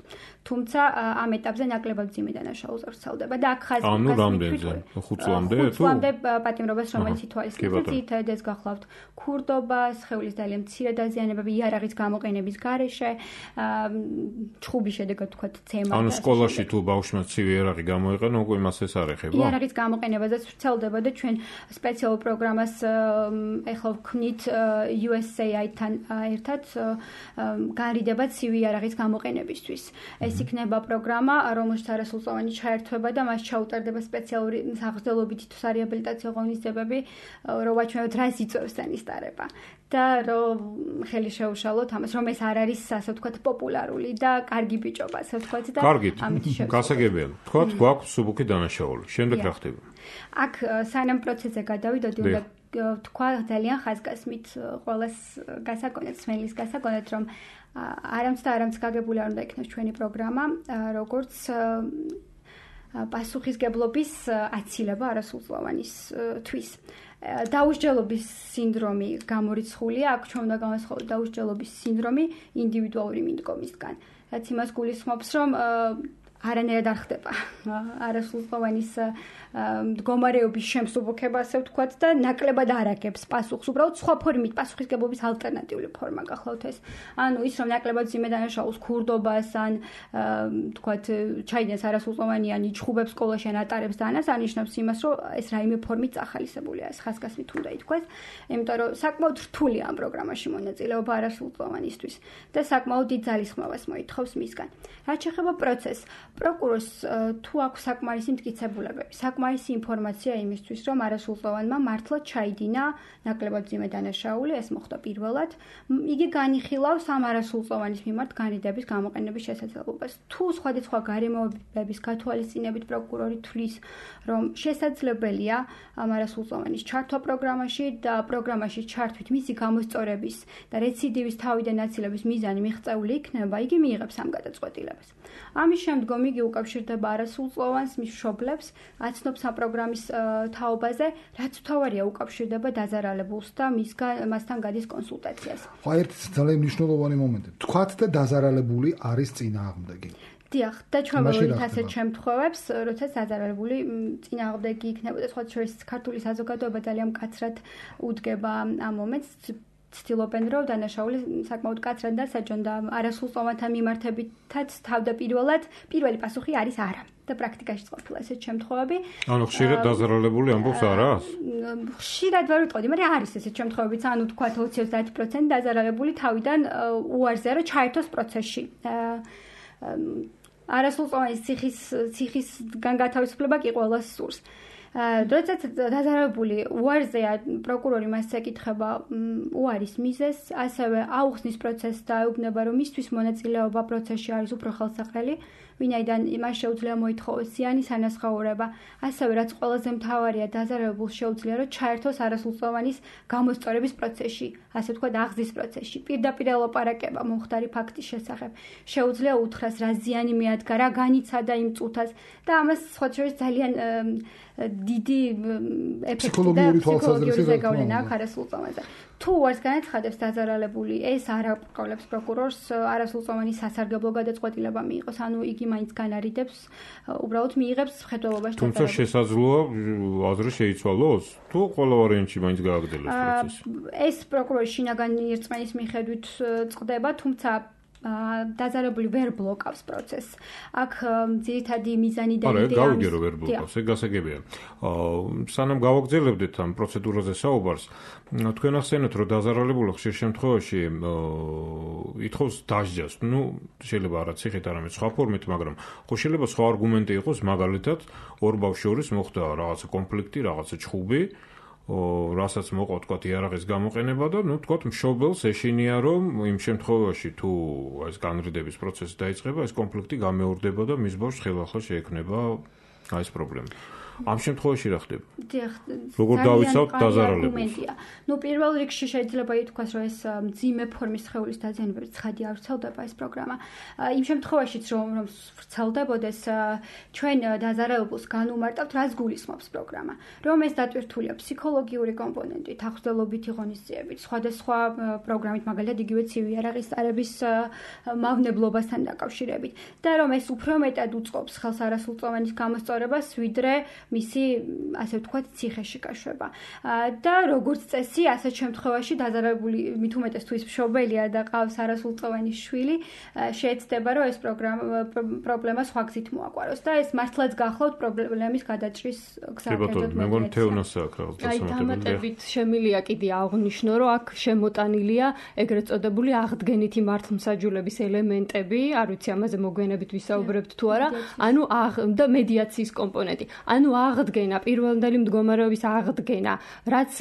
თუმცა ამ ეტაპზე ნაკლებად მძიმე დანაშაულს ვრცელდება და აქ ხაზი ანუ რამდენზე? ხუთ წლამდე თუ? ხუთ წლამდე პატიმრობას, რომელიც ითვალისწინებს ძირითადად გახლავთ ქურდობა, სხეულის ძალიან მცირე დაზიანებები, იარაღის გამოყენების გარეშე, ჩხუბის შედეგად ვთქვათ, ცემა. ანუ სკოლაში თუ ბავშვმა ცივი იარაღი გამოიყენა, უკვე მას ეს არ ეხება? იარაღის გამოყენებაზეც ვრცელდება და ჩვენ სპეციალურ პროგრამას ეხლა ვქმნით U S A I-თან ერთად განრიდება ცივი იარაღის გამოყენებისთვის. ეს იქნება პროგრამა, რომელშიც არასრულწლოვანი ჩაერთვება და მას ჩაუტარდება სპეციალური საგრძელობითი თუ სარეაბილიტაციო ღონისძიებები, რომ ვაჩვენოთ რა სიწევს ენის დარება. და რომ ხელი შეუშალოთ ამას, რომ ეს არ არის ასე ვთქვათ პოპულარული და კარგი ბიჭობა, ასე ვთქვათ და ამით შევსვათ. გასაგებია. თქვათ გვაქვს მსუბუქი დანაშაული. შემდეგ რა ხდება? აქ სანამ პროცესზე გადავიდოდი, უნდა თქვა ძალიან ხაზგასმით ყოველს გასაგონეთ, სმელის გასაგონეთ, რომ არამც და არამც გაგებული არ უნდა იქნას ჩვენი პროგრამა, როგორც პასუხისგებლობის აცილება არასრულწლოვანისთვის. დაუსჯელობის სინდრომი გამორიცხულია, აქ ჩვენ უნდა განვასხვაოთ დაუსჯელობის სინდრომი ინდივიდუალური მიდგომისგან. რაც იმას გულისხმობს, რომ არანაირად არ ხდება არასრულწლოვანის მდგომარეობის შემსუბუქება, ასე ვთქვათ, და ნაკლებად არ აგებს პასუხს. უბრალოდ სხვა ფორმით პასუხისგებლობის ალტერნატიული ფორმა გახლავთ ეს. ანუ ის რომ ნაკლებად მძიმე დანაშაულს, ქურდობას ან ვთქვათ, ჩაიდენს არასრულწლოვანიანი ჩხუბებს სკოლაში ან ატარებს და ანას არნიშნავს იმას, რომ ეს რაიმე ფორმით წახალისებულია, ეს ხაზგასმით უნდა ითქვას, იმიტომ რომ საკმაოდ რთულია ამ პროგრამაში მონაწილეობა არასრულწლოვანისთვის და საკმაოდ დიდ ძალისხმევას მოითხოვს მისგან. რაც შეეხება პროცესს, პროკურორს თუ აქვს საკმარისი მტკიცებულებები, საკმარისი ინფორმაცია იმისთვის, რომ არასრულწლოვანმა მართლა ჩაიდინა ნაკლებად მძიმე დანაშაული, ეს მოხდა პირველად, იგი განიხილავს ამ არასრულწლოვანის მიმართ განრიდების გამოყენების შესაძლებლობას. თუ სხვადასხვა გარემოებების გათვალისწინებით პროკურორი თვლის, რომ შესაძლებელია ამ არასრულწლოვანის ჩართვა პროგრამაში და პროგრამაში ჩართვით მისი გამოსწორების და რეციდივის თავიდან აცილების მიზანი მიღწეული იქნება, იგი მიიღებს ამ გადაწყვეტილებას. ამის შემდგომ იგი უკავშირდება არასრულწლოვანს, მის მშობლებს, აცნობს ამ პროგრამის თაობაზე, რაც თავარია უკავშირდება დაზარალებულს და მასთან გადის კონსულტაციას. ხო, ერთი ძალიან მნიშვნელოვანი მომენტი. თქვათ და დაზარალებული არის წინააღმდეგი. დიახ, და ჩვენ ველოდით ასეთ შემთხვევებს, როდესაც დაზარალებული წინააღმდეგი იქნებოდა, სხვა შორის ქართული საზოგადოება ძალიან მკაცრად უდგება ამ მომენტს. ცდილობენ, რომ დანაშაული საკმაოდ კაცრად და საჯონ და არასრულწლოვანთან მიმართებითაც თავდაპირველად პირველი პასუხი არის არა. და პრაქტიკაში ყოფილა ესეთ შემთხვევები. ანუ ხშირად დაზარალებული ამბობს არას? ხშირად ვერ ვიტყოდი, მაგრამ არის ესეთ შემთხვევებიც, ანუ თქვა ოცი-ოცდაათი პროცენტი დაზარალებული თავიდან უარზე რომ ჩაერთოს პროცესში. არასრულწლოვანის ციხის ციხისგან გათავისუფლება კი ყველას სურს. როდესაც დაზარალებული უარზეა, პროკურორი მას ეკითხება უარის მიზეზს, ასევე აუხსნის პროცესს და ეუბნება, რომ მისთვის მონაწილეობა პროცესში არის უფრო ხელსაყრელი, ვინაიდან მას შეუძლია მოითხოვოს ზიანის ანაზღაურება, ასევე რაც ყველაზე მთავარია, დაზარალებულს შეუძლია, რომ ჩაერთოს არასრულწლოვანის გამოსწორების პროცესში, ასე ვთქვათ, აღზის პროცესში. პირდაპირ ელაპარაკება მომხდარი ფაქტის შესახებ. შეუძლია უთხრას, რა ზიანი მიადგა, რა განიცადა იმ წუთას და ამას სხვა შორის ძალიან დიდი ეფექტი და ფსიქოლოგიური ზეგავლენა აქვს არასრულწლოვანზე. თუ უარს განაცხადებს დაზარალებული, ეს არ აყოლებს პროკურორს არასრულწლოვანის სასარგებლო გადაწყვეტილება მიიღოს, ანუ იგი მაინც განარიდებს, უბრალოდ მიიღებს მხედველობაში. თუმცა შესაძლოა აზრი შეიცვალოს, თუ ყველა ვარიანტში მაინც გააგრძელოს პროცესი. ეს პროკურორის შინაგანი რწმენის მიხედვით წყდება, თუმცა დაზარებული ვერ ბლოკავს პროცესს. აქ ძირითადი მიზანი და იდეა გავიგე რომ ვერ ბლოკავს, ეგ გასაგებია. სანამ გავაგრძელებდეთ ამ პროცედურაზე საუბარს, თქვენ ახსენეთ რომ დაზარალებული ხშირ შემთხვევაში ითხოვს დასჯას. ნუ შეიძლება არა ციხით, არამედ სხვა ფორმით, მაგრამ ხო შეიძლება სხვა არგუმენტი იყოს, მაგალითად, ორ ბავშვს შორის მოხდა რაღაცა კონფლიქტი, რაღაცა ჩხუბი, რასაც მოყვა თქვა იარაღის გამოყენება და ნუ თქვა მშობელს ეშინია რომ იმ შემთხვევაში თუ ეს განრიდების პროცესი დაიწყება, ეს კონფლიქტი გამეორდება და მის ბავშვს ხელახლა შეექმნება აი ეს პრობლემა. ამ შემთხვევაში რა ხდება? როგორ დავიცავთ დაზარალებულს? ნუ პირველ რიგში შეიძლება ითქვას, რომ ეს მძიმე ფორმის სხეულის დაზიანებებით ცხადი არ ვრცელდება ეს პროგრამა. იმ შემთხვევაშიც რომ რომ ვრცელდებოდეს, ჩვენ დაზარალებულს განუმარტავთ, რას გულისხმობს პროგრამა. რომ ეს დატვირთულია ფსიქოლოგიური კომპონენტით, ახსდელობითი ღონისძიებით, სხვადასხვა პროგრამით, მაგალითად იგივე ცივი იარაღის წარების მავნებლობასთან დაკავშირებით და რომ ეს უფრო მეტად უწყობს ხელს არასრულწლოვანის გამოსწორებას, ვიდრე მისი, ასე ვთქვათ, ციხეში გაშვება. და როგორც წესი, ასეთ შემთხვევაში დაზარალებული მით უმეტეს თუ ის მშობელია და ყავს არასრულწლოვანი შვილი, შეეცდება, რომ ეს პრობლემა სხვა გზით მოაკვაროს და ეს მართლაც გახლავთ პრობლემის გადაჭრის გზაკეთებად. მე მგონი თეონას აქვს რაღაც დასამატებელი. აი, დამატებით შემილია კიდე აღნიშნო, რომ აქ შემოტანილია ეგრეთ წოდებული აღდგენითი მართლმსაჯულების ელემენტები, არ ვიცი ამაზე მოგვიანებით ვისაუბრებთ თუ არა, ანუ და მედიაციის კომპონენტი. ანუ აღდგენა, პირველდელი მდგომარეობის აღდგენა, რაც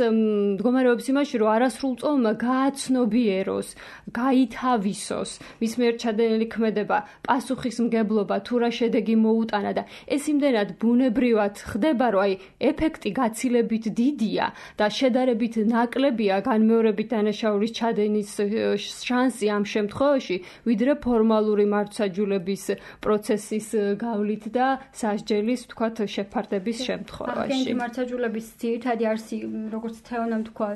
მდგომარეობის იმაში, რომ არასრულწლოვანმა გააცნობიეროს, გაითავისოს, მის მიერ ჩადენილი ქმედება, პასუხისმგებლობა, თუ რა შედეგი მოუტანა და ეს იმდენად ბუნებრივად ხდება, რომ აი ეფექტი გაცილებით დიდია და შედარებით ნაკლებია განმეორებით დანაშაულის ჩადენის შანსი ამ შემთხვევაში, ვიდრე ფორმალური მართლმსაჯულების პროცესის გავლით და სასჯელის, თქვათ, შეფარდების შემთხვევაში. აღდგენითი მართლმსაჯულების ძირითადი არსი, როგორც თეონამ თქვა,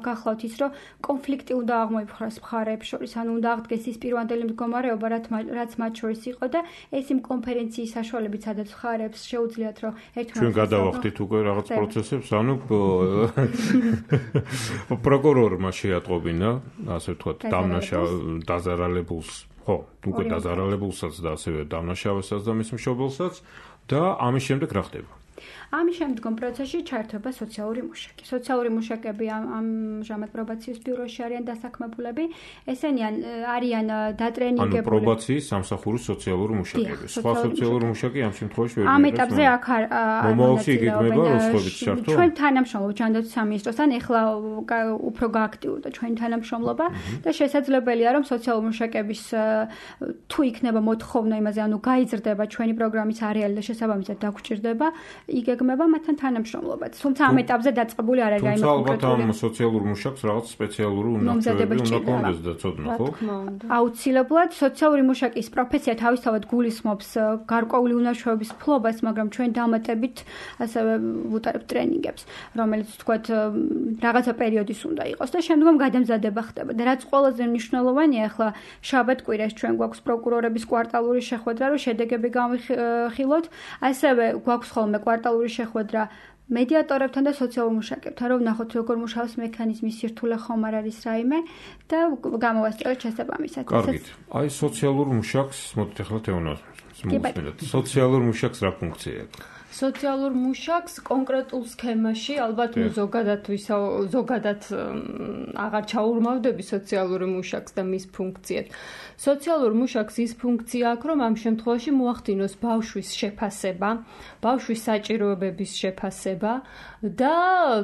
გახლავთ ის, რომ კონფლიქტი უნდა აღმოიფხვრას მხარეებს შორის, ანუ უნდა აღდგეს ის პირვანდელი მდგომარეობა, რაც მათ შორის იყო და ეს იმ კონფერენციის საშუალებით, სადაც მხარეებს შეუძლიათ, რომ ერთმანეთს ჩვენ გადავახდით უკვე რაღაც პროცესებს, ანუ პროკურორმა შეატყობინა, ასე ვთქვათ, დამნაშავე დაზარალებულს, ხო, უკვე დაზარალებულსაც და ასევე დამნაშავესაც და მის მშობელსაც და ამის შემდეგ რა ხდება? ამის შემდგომ პროცესში ჩაერთვება სოციალური მუშაკი. სოციალური მუშაკები ამჟამად პრობაციის ბიუროში არიან დასაქმებულები. ესენი არიან დატრენინგებული. ანუ პრობაციის სამსახურის სოციალური მუშაკები. სხვა სოციალური მუშაკი ამ შემთხვევაში ვერ ამ ეტაპზე აქ არ მომავალში იგეგმება როსხობით ჩართვა. ჩვენ თანამშრომლობთ ჯანდაცვის სამინისტროსთან, ეხლა უფრო გააქტიურდა ჩვენი თანამშრომლობა და შესაძლებელია რომ სოციალური მუშაკების თუ იქნება მოთხოვნა იმაზე, ანუ გაიზრდება ჩვენი პროგრამის არეალი და შესაბამისად დაგჭირდება იგეგმება მათთან თანამშრომლობაც. თუმცა ამ ეტაპზე დაწყებული არ არის რაიმე კონკრეტული. თუმცა ალბათ ამ სოციალურ მუშაკს რაღაც სპეციალური უნარჩვევები უნდა კონდეს და ცოდნა, ხო? აუცილებლად სოციალური მუშაკის პროფესია თავისთავად გულისხმობს გარკვეული უნარჩვევების ფლობას, მაგრამ ჩვენ დამატებით ასევე ვუტარებთ ტრენინგებს, რომელიც თქვათ რაღაცა პერიოდის უნდა იყოს და შემდგომ გადამზადება ხდება. და რაც ყველაზე მნიშვნელოვანია, ახლა შაბათ-კვირას ჩვენ გვაქვს პროკურორების კვარტალური შეხვედრა, რომ შედეგები გავიხილოთ, ასევე გვაქვს ხოლმე კვარტალური შეხვედრა მედიატორებთან და სოციალურ მუშაკებთან, რომ ვნახოთ როგორ მუშაობს მექანიზმი, სირთულე ხომ არ არის რაიმე და გამოვასწოროთ შესაბამისად. კარგით. აი სოციალურ მუშაკს მოდით ახლა თეონას მოვუსმინოთ. სოციალურ მუშაკს რა ფუნქცია აქვს? სოციალურ მუშაკს კონკრეტულ სქემაში, ალბათ ნუ ზოგადად ვისა ზოგადად აღარ ჩაურმავდები სოციალური მუშაკს და მის ფუნქციებს. სოციალურ მუშაკს ის ფუნქცია აქვს, რომ ამ შემთხვევაში მოახდინოს ბავშვის შეფასება, ბავშვის საჭიროებების შეფასება და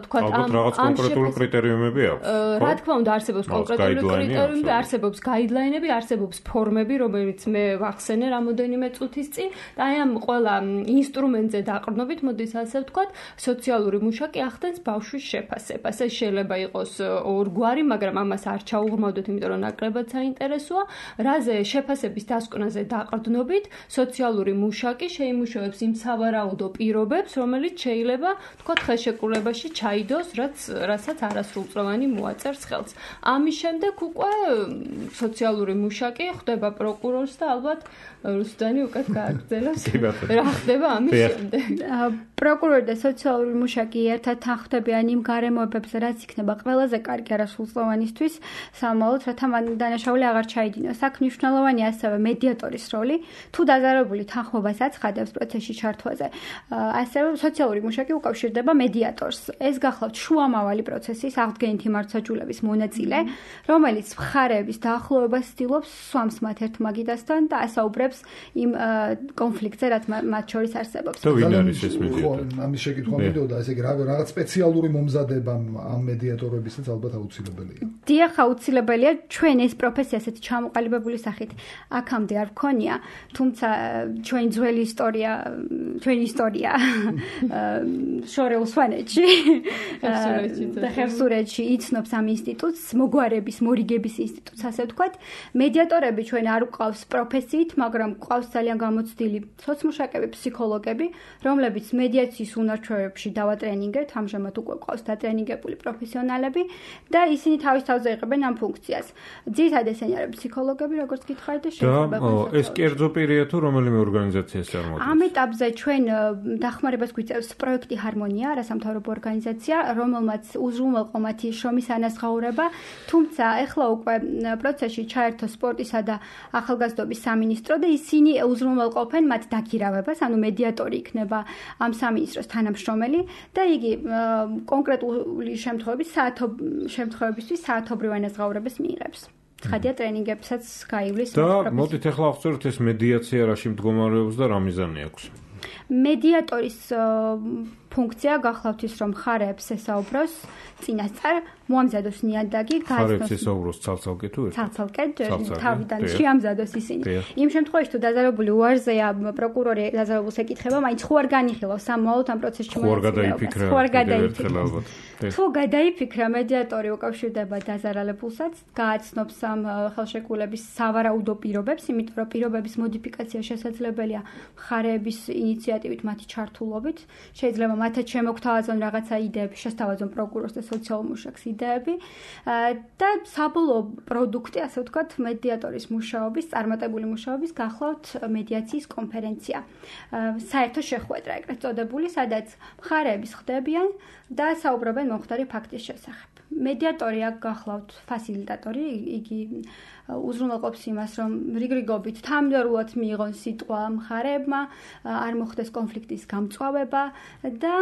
თქვათ ამ რაღაც კონკრეტული კრიტერიუმები აქვს. რა თქმა უნდა, არსებობს კონკრეტული კრიტერიუმები, არსებობს გაიდლაინები, არსებობს ფორმები, რომელიც მე ვახსენე რამოდენიმე წუთის წინ და აი ამ ყველა ინსტრუმენტზე დაყრდნობით, მოდის ასე ვთქვათ, სოციალური მუშაკი ახდენს ბავშვის შეფასებას. ეს შეიძლება იყოს ორგვარი, მაგრამ ამას არ ჩაუღრმავდეთ, იმიტომ რომ ნაკლებად საინტერესოა. რაზე შეფასების დასკვნაზე დაყრდნობით, სოციალური მუშაკი შეიმუშავებს იმ სავარაუდო პირობებს, რომელიც შეიძლება, თქვათ, ხელშეკრულებაში ჩაიდოს, რაც რასაც არასრულწლოვანი მოაწერს ხელს. ამის შემდეგ უკვე სოციალური მუშაკი ხდება პროკურორს და ალბათ რუსდანი უკეთ გააგრძელებს. რა ხდება ამის შემდეგ? პროკურორი და სოციალური მუშაკი ერთად თანხმდებიან იმ გარემოებებზე, რაც იქნება ყველაზე კარგი არასრულწლოვანისთვის სამომავლოდ, რათა მან დანაშაული აღარ ჩაიდინოს. აქ მნიშვნელოვანი ასევე მედიატორის როლი, თუ დაზარალებული თანხმობას აცხადებს პროცესში ჩართვაზე. ასევე სოციალური მუშაკი უკავშირდება მედიატორს. ეს გახლავთ შუამავალი პროცესის აღდგენითი მართლმსაჯულების მონაწილე, რომელიც მხარეების დაახლოებას ცდილობს სვამს მათ ერთმაგიდასთან და ასაუბრებს იმ კონფლიქტზე, რაც მათ შორის არსებობს. და ვინ არის ეს მედიატორი? ამის შეკითხვა მიდოდა, ესე იგი რაღაც სპეციალური მომზადება ამ მედიატორებისაც ალბათ აუცილებელია. დიახ, აუცილებელია. ჩვენ ეს პროფესია ასეთი ჩამოყალიბებული სახით აქამდე არ ვქონია, თუმცა ჩვენი ძველი ისტორია, ჩვენი ისტორია შორეულ სვანეთში და ხევსურეთში იცნობს ამ ინსტიტუტს, მოგვარების, მორიგების ინსტიტუტს, ასე ვთქვათ. მედიატორები ჩვენ არ გვყავს პროფესიით, მაგრამ გვყავს ძალიან გამოცდილი სოციმუშაკები, ფსიქოლოგები, რომლებიც მედიაციის უნარჩვევებში დავატრენინგეთ, ამჟამად უკვე გვყავს დატრენინგებული პროფესიონალები და ისინი თავის თავზე იღებენ ამ ფუნქციას. ძირითადად ესენი არიან ფსიქოლოგები, როგორც გითხარით და შეიძლება ეს კერძო პირია თუ რომელიმე ორგანიზაციას წარმოადგენს? ამ ეტაპზე ჩვენ დახმარებას გვიწევს პროექტი ჰარმონია, არასამთავრობო ორგანიზაცია, რომელმაც უზრუნველყო მათი შრომის ანაზღაურება, თუმცა ეხლა უკვე პროცესში ჩაერთო სპორტისა და ახალგაზრდობის სამინისტრო და ისინი უზრუნველყოფენ მათ დაქირავებას, ანუ მედიატორი იქნება ამ სამინისტროს თანამშრომელი და იგი კონკრეტული შემთხვევების საათობ შემთხვევებისთვის საათობრივ ანაზღაურებას მიიღებს. ცხადია ტრენინგებსაც გაივლის. და მოდით ახლა აღწეროთ ეს მედიაცია რაში მდგომარეობს და რა მიზანი აქვს? მედიატორის ფუნქცია გახლავთ ის, რომ მხარეებს ესაუბროს წინასწარ მოამზადოს ნიადაგი, მხარეებს ესაუბროს ცალ-ცალკე თუ ერთად? ცალ-ცალკე, თავიდან შეამზადოს ისინი. იმ შემთხვევაში თუ დაზარალებული უარზეა, პროკურორი დაზარალებულს ეკითხება, მაინც ხო არ განიხილავს სამმავლოდ ამ პროცესში მონაწილეობას. ხო არ გადაიფიქრა ალბათ. თუ გადაიფიქრა, მედიატორი უკავშირდება დაზარალებულსაც, გააცნობს ამ ხელშეკრულების სავარაუდო პირობებს, იმიტომ რომ პირობების მოდიფიკაცია შესაძლებელია მხარეების ინიციატივით, მათი ჩართულობით. შეიძლება მათაც შემოგთავაზონ რაღაცა იდეები, შესთავაზონ პროკურორს და სოციალურ მუშაკს იდეები და საბოლოო პროდუქტი, ასე ვთქვათ, მედიატორის მუშაობის, წარმატებული მუშაობის გახლავთ მედიაციის კონფერენცია. საერთო შეხვედრა ეგრეთ წოდებული, სადაც მხარეები ხდებიან და საუბრობენ მომხდარი ფაქტის შესახებ. მედიატორი აქ გახლავთ ფასილიტატორი, იგი უზრუნველყოფს იმას, რომ რიგრიგობით თანმიმდევრულად მიიღონ სიტყვა მხარეებმა, არ მოხდეს კონფლიქტის გამწვავება და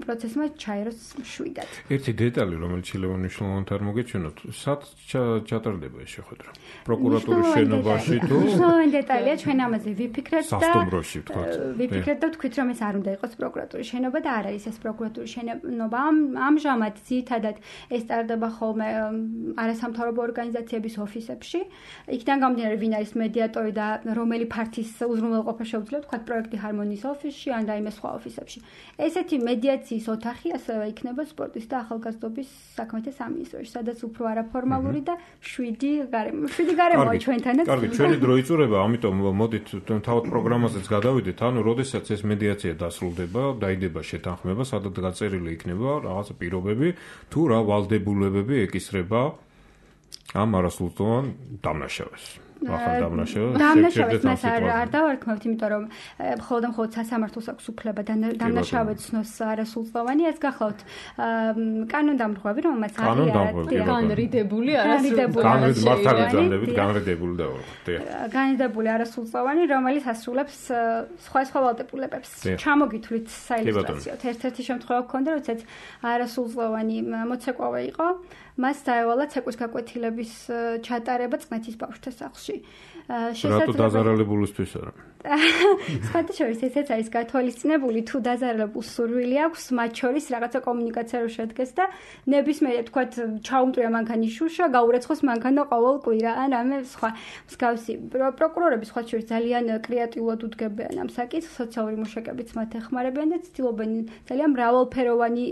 პროცესმა ჩაეროს მშვიდად. ერთი დეტალი, რომელიც შეიძლება მნიშვნელოვნად არ მოგეჩვენოთ, სად ჩატარდება ეს შეხვედრა? პროკურატურის შენობაში თუ? მნიშვნელოვანი დეტალია, ჩვენ ამაზე ვიფიქრეთ და სასტუმროში ვთქვათ. ვიფიქრეთ და ვთქვით, რომ ეს არ უნდა იყოს პროკურატურის შენობა და არ არის ეს პროკურატურის შენობა. ამჟამად ძირითადად ეს ტარდება ხოლმე არასამთავრობო ორგანიზაციების ოფისებში. იქიდან გამომდინარე, ვინ არის მედიატორი და რომელი ფართის უზრუნველყოფა შეუძლია, ვთქვათ, პროექტი ჰარმონიის ოფისში ან რაიმე სხვა ოფისებში. ესეთი მედიაციის ოთახი ასევე იქნება სპორტის და ახალგაზრდობის საქმეთა სამინისტროში, სადაც უფრო არაფორმალური და შვიდი გარემო, შვიდი გარემოა ჩვენთანაც. კარგი, ჩვენი დრო იწურება, ამიტომ მოდით თავად პროგრამაზეც გადავიდეთ, ანუ როდესაც ეს მედიაცია დასრულდება, დაიდება შეთანხმება, სადაც გაწერილი იქნება რაღაცა პირობები, თუ რა ვალდებულებები ეკისრება ამ არასრულწლოვან დამნაშავეს. ახალ დამნაშავეს. დამნაშავეს მას არ არ დავარქმევთ, იმიტომ რომ მხოლოდ მხოლოდ სასამართლოს აქვს უფლება დამნაშავედ ცნოს არასრულწლოვანი, ეს გახლავთ კანონდამრღვევი, რომელმაც არის განრიდებული არასრულწლოვანი. მართალიძანებით განრიდებული და განრიდებული არასრულწლოვანი, რომელიც ასრულებს სხვა სხვა ვალდებულებებს. ჩამოგითვლით საილუსტრაციოდ. ერთ-ერთი შემთხვევა გქონდა, როდესაც არასრულწლოვანი მოცეკვავე იყო. მას დაევალა ცეკვის გაკვეთილების ჩატარება წყნეთის ბავშვთა სახლში. რატო დაზარალებულისთვის არა? სხვათა შორის ესეც არის გათვალისწინებული, თუ დაზარალებულს სურვილი აქვს, მათ შორის რაღაცა კომუნიკაცია რო შედგეს და ნებისმიერ თქვათ ჩაუმტრია მანქანის შუშა, გაურეცხოს მანქანა ყოველ კვირა ან რამე სხვა მსგავსი. პროკურორები სხვათა შორის ძალიან კრეატიულად უდგებიან ამ საკითხს, სოციალური მუშაკებიც მათ ეხმარებიან და ცდილობენ ძალიან მრავალფეროვანი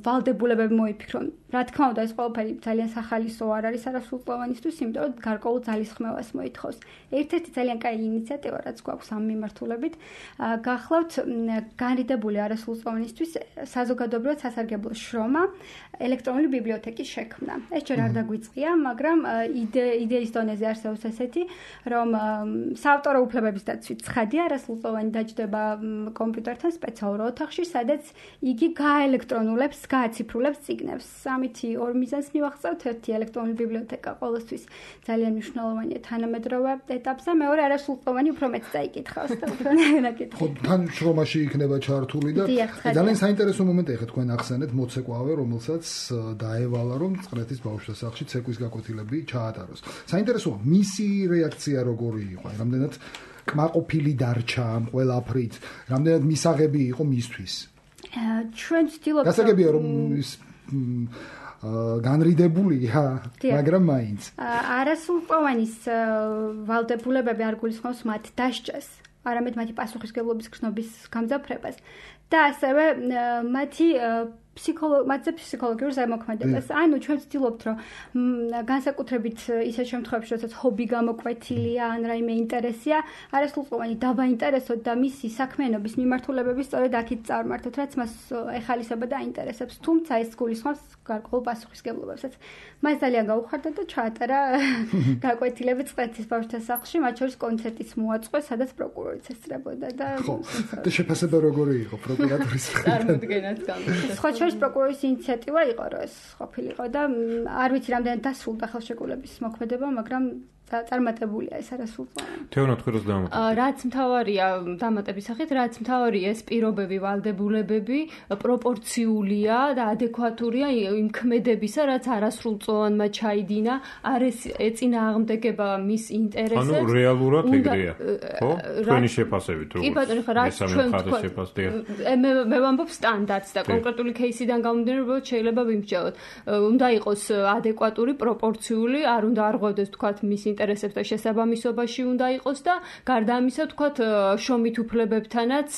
ვალდებულებები მოიფიქრონ. რა თქმა უნდა, ეს ყველაფერი ძალიან სახალისო არ არის არასრულწლოვანისთვის, იმიტომ რომ გარკვეულ ძალისხმევას მოითხოვს. ერთ-ერთი ძალიან კაი ინიციატივა ინიციატივა, რაც გვაქვს ამ მიმართულებით. გახლავთ განრიდებული არასრულწლოვანისთვის საზოგადოებრივად სასარგებლო შრომა ელექტრონული ბიბლიოთეკის შექმნა. ეს ჯერ არ დაგვიწყია, მაგრამ იდეის დონეზე არსებობს ესეთი, რომ საავტორო უფლებების დაცვით ცხადია, არასრულწლოვანი დაჯდება კომპიუტერთან სპეციალურ ოთახში, სადაც იგი გააელექტრონულებს, გააციფრულებს წიგნებს. ამითი ორ მიზანს მივახსოვთ, ერთი ელექტრონული ბიბლიოთეკა ყოველთვის ძალიან მნიშვნელოვანია თანამედროვე ეტაპზე, მეორე არასრულწლოვანი უფრო მეტ წაიკითხავს და უფრო ნაკითხავს. ხო, თან შრომაში იქნება ჩართული და ძალიან საინტერესო მომენტია ხა თქვენ ახსენეთ მოცეკვავე, რომელსაც დაევალა რომ წრეთის ბავშვთა სახლში ცეკვის გაკვეთილები ჩაატაროს. საინტერესოა მისი რეაქცია როგორი იყო, რამდენად კმაყოფილი დარჩა ამ ყველაფრით, რამდენად მისაღები იყო მისთვის. ჩვენ ვცდილობთ გასაგებია რომ ის განრიდებულია, მაგრამ მაინც არასრულწლოვანის ვალდებულებები არ გულისხმობს მათ დასჯას, არამედ მათი პასუხისმგებლობის გრძნობის გამძაფრებას და ასევე მათი ფსიქოლოგიურ ფსიქოლოგიურ ზემოქმედებას. ანუ ჩვენ ვცდილობთ, რომ განსაკუთრებით ისეთ შემთხვევებში, როდესაც ჰობი გამოკვეთილია ან რაიმე ინტერესია, არასრულწლოვანი დავაინტერესოთ და მისი საქმიანობის მიმართულებები სწორედ აქეთ წარმართოთ, რაც მას ეხალისება და აინტერესებს. თუმცა ეს გულისხმობს გარკვეულ პასუხისმგებლობებსაც. მას ძალიან გაუხარდა და ჩაატარა გაკვეთილები წრეთის ბავშვთა სახლში, მათ შორის კონცერტიც მოაწყვეს, სადაც პროკურორიც ესწრებოდა და და შეფასება როგორი იყო პროკურატურის წარმოდგენაც გამოსცა. შორის პროკურორის ინიციატივა იყო, რომ ეს ყოფილიყო და არ ვიცი რამდენად დასრულდა ხელშეკრულების მოქმედება, მაგრამ წარმატებულია ეს არასრულწლოვანი. თეონა თქვენს დამატებით. რაც მთავარია დამატების სახით, რაც მთავარია ეს პირობები, ვალდებულებები პროპორციულია და ადეკვატურია იმ ქმედებისა, რაც არასრულწლოვანმა ჩაიდინა, არ ეწინააღმდეგება მის ინტერესებს. ანუ რეალურად ეგრეა, ხო? თქვენი შეფასებით როგორ? კი ბატონო, ხო, რაც ჩვენ შეფასდია. მე მე ვამბობ სტანდარტს და კონკრეტული кейსიდან გამომდინარე, რომ შეიძლება ვიმსჯელოთ. უნდა იყოს ადეკვატური, პროპორციული, არ უნდა არღვევდეს თქვა მის ინტერესებს და შესაბამისობაში უნდა იყოს და გარდა ამისა თქვათ შრომით უფლებებთანაც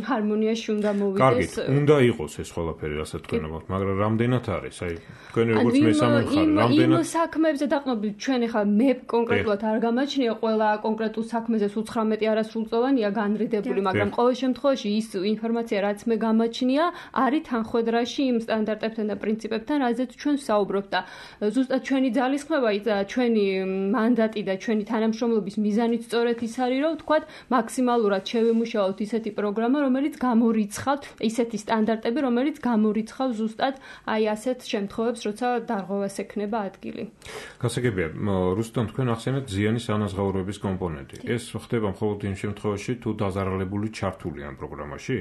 ჰარმონიაში უნდა მოვიდეს. კარგით, უნდა იყოს ეს ყველაფერი, რასაც თქვენ ამბობთ, მაგრამ რამდენად არის? აი, თქვენი როგორც მესამე მხარე, რამდენად იმ საქმეებზე დაყრდნობით ჩვენ ახლა მე კონკრეტულად არ გამაჩნია ყველა კონკრეტულ საქმეზე უცხრამეტი არასრულწლოვანია განრიდებული, მაგრამ ყოველ შემთხვევაში ის ინფორმაცია, რაც მე გამაჩნია, არის თანხმედრაში იმ სტანდარტებთან და პრინციპებთან, რაზეც ჩვენ ვსაუბრობთ და ზუსტად ჩვენი ძალისხმევა და ჩვენი მანდატი და ჩვენი თანამშრომლობის მიზანიც სწორედ ის არის, რომ ვთქვათ, მაქსიმალურად შევემუშაოთ ისეთი პროგრამა, რომელიც გამორიცხავთ ისეთი სტანდარტები, რომელიც გამორიცხავს ზუსტად აი ასეთ შემთხვევებს, როცა დარღვევას ექნება ადგილი. გასაგებია, რუსტამ თქვენ ახსენეთ ზიანის ანაზღაურების კომპონენტი. ეს ხდება მხოლოდ იმ შემთხვევაში, თუ დაზარალებული ჩართულია ამ პროგრამაში?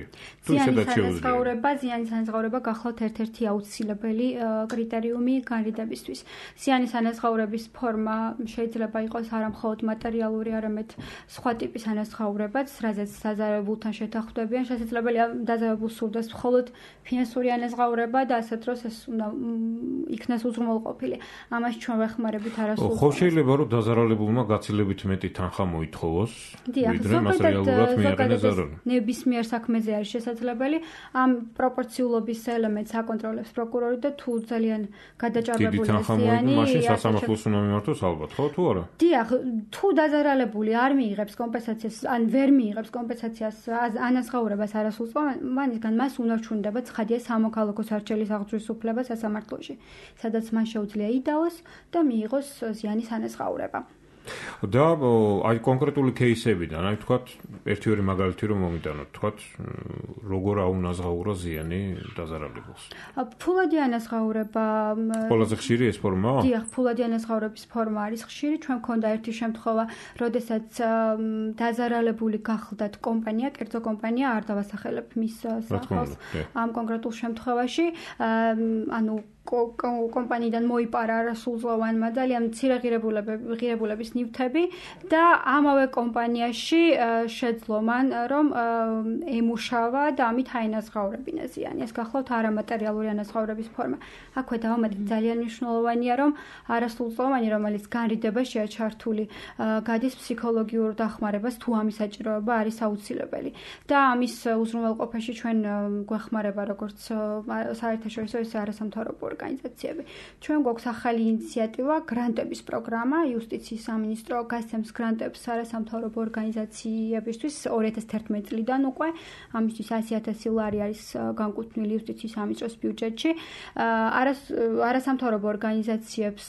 თუ ისედაც შეუძლია. ანაზღაურება, ზიანის ანაზღაურება გახლავთ ერთ-ერთი აუცილებელი კრიტერიუმი განრიდებისთვის. ზიანის ანაზღაურების ფორმა შეიძლება იყოს არა მხოლოდ მატერიალური, არამედ სხვა ტიპის ანაზღაურებაც, რაზეც დაზარალებულთან შეთანხმდებიან. შესაძლებელია დაზარალებულს სურდეს მხოლოდ ფინანსური ανაზღაურება და ასეთ დროს ეს უნდა იქნას უზრუნველყოფილი. ამას ჩვენ ვეხმარებით არასრულწლოვანს. ხო, შეიძლება რომ დაზარალებულმა გაცილებით მეტი თანხა მოითხოვოს, ვიდრე მას რეალურად მიაყენეს ზარალი. ნებისმიერ საქმეზე არის შესაძლებელი. ამ პროპორციულობის ელემენტს აკონტროლებს პროკურორი და თუ ძალიან გადაჭარბებული ზიანი, მაშინ სასამართლოს უნდა მიმართოს ალბათ, ხო თუ არა? დიახ, თუ დაზარალებული არ მიიღებს კომპენსაციას, ან ვერ მიიღებს კომპენსაციას ანაზღაურებას არასრულწლოვანისგან, მას უნარჩუნდება ცხადია სამოქალაქო სარჩელის აღძვრის უფლება სასამართლოში, სადაც მან შეუძლია იდაოს და მიიღოს ზიანის ანაზღაურება. და აი კონკრეტული кейსებიდან, აი თქვათ, ერთი-ორი მაგალითი რომ მომიტანოთ, თქვათ, როგორ აუნაზღაურა ზიანი დაზარალებულს. ფულადი ანაზღაურება ყველაზე ხშირი ეს ფორმაა? დიახ, ფულადი ანაზღაურების ფორმა არის ხშირი. ჩვენ მქონდა ერთი შემთხვევა, როდესაც დაზარალებული გახლდათ კომპანია, კერძო კომპანია, არ დავასახელებ მის სახელს ამ კონკრეტულ შემთხვევაში, ანუ კომპანიიდან მოიპარა არასრულწლოვანმა ძალიან მცირე ღირებულების ნივთები და ამავე კომპანიაში შეძლო მან რომ ემუშავა და ამით აინაზღაურებინა ზიანი. ეს გახლავთ არამატერიალური ანაზღაურების ფორმა. აქვე დავამატეთ ძალიან მნიშვნელოვანია, რომ არასრულწლოვანი, რომელიც განრიდებაშია ჩართული, გადის ფსიქოლოგიურ დახმარებას, თუ ამის საჭიროება არის აუცილებელი. და ამის უზრუნველყოფაში ჩვენ გვეხმარება როგორც საერთაშორისო, ისე არასამთავრობო ორგანიზაციები. ჩვენ გვაქვს ახალი ინიციატივა, გრანტების პროგრამა, იუსტიციის სამინისტრო გასცემს გრანტებს არასამთავრობო ორგანიზაციებისთვის ორი ათას თერთმეტი წლიდან უკვე, ამისთვის ასი ათასი ლარი არის განკუთვნილი იუსტიციის სამინისტროს ბიუჯეტში. არასამთავრობო ორგანიზაციებს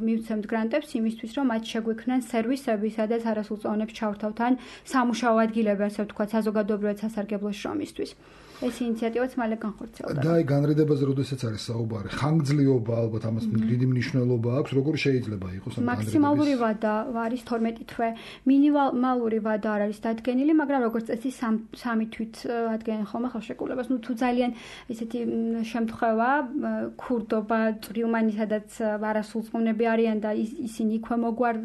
მივცემთ გრანტებს იმისთვის, რომ მათ შეგვექმნან სერვისები, სადაც არასრულწლოვანებს ჩავრთავთ ან სამუშაო ადგილები, ასე ვთქვათ, საზოგადოებრივად სასარგებლო შრომისთვის. ეს ინიციატივაც მალე განხორციელდება. და აი განრიდებაზე როდესაც არის საუბარი, ხანგრძლივობა ალბათ ამას დიდი მნიშვნელობა აქვს, როგორ შეიძლება იყოს ამ განრიდების? მაქსიმალური ვადა არის თორმეტი თვე. მინიმალური ვადა არ არის დადგენილი, მაგრამ როგორც წესი სამი თვით ადგენენ ხოლმე ხელშეკრულებას. ნუ თუ ძალიან ესეთი შემთხვევა, ქურდობა, წვრილმანი, სადაც არასრულწლოვნები არიან და ისინი იქვე მოგვარ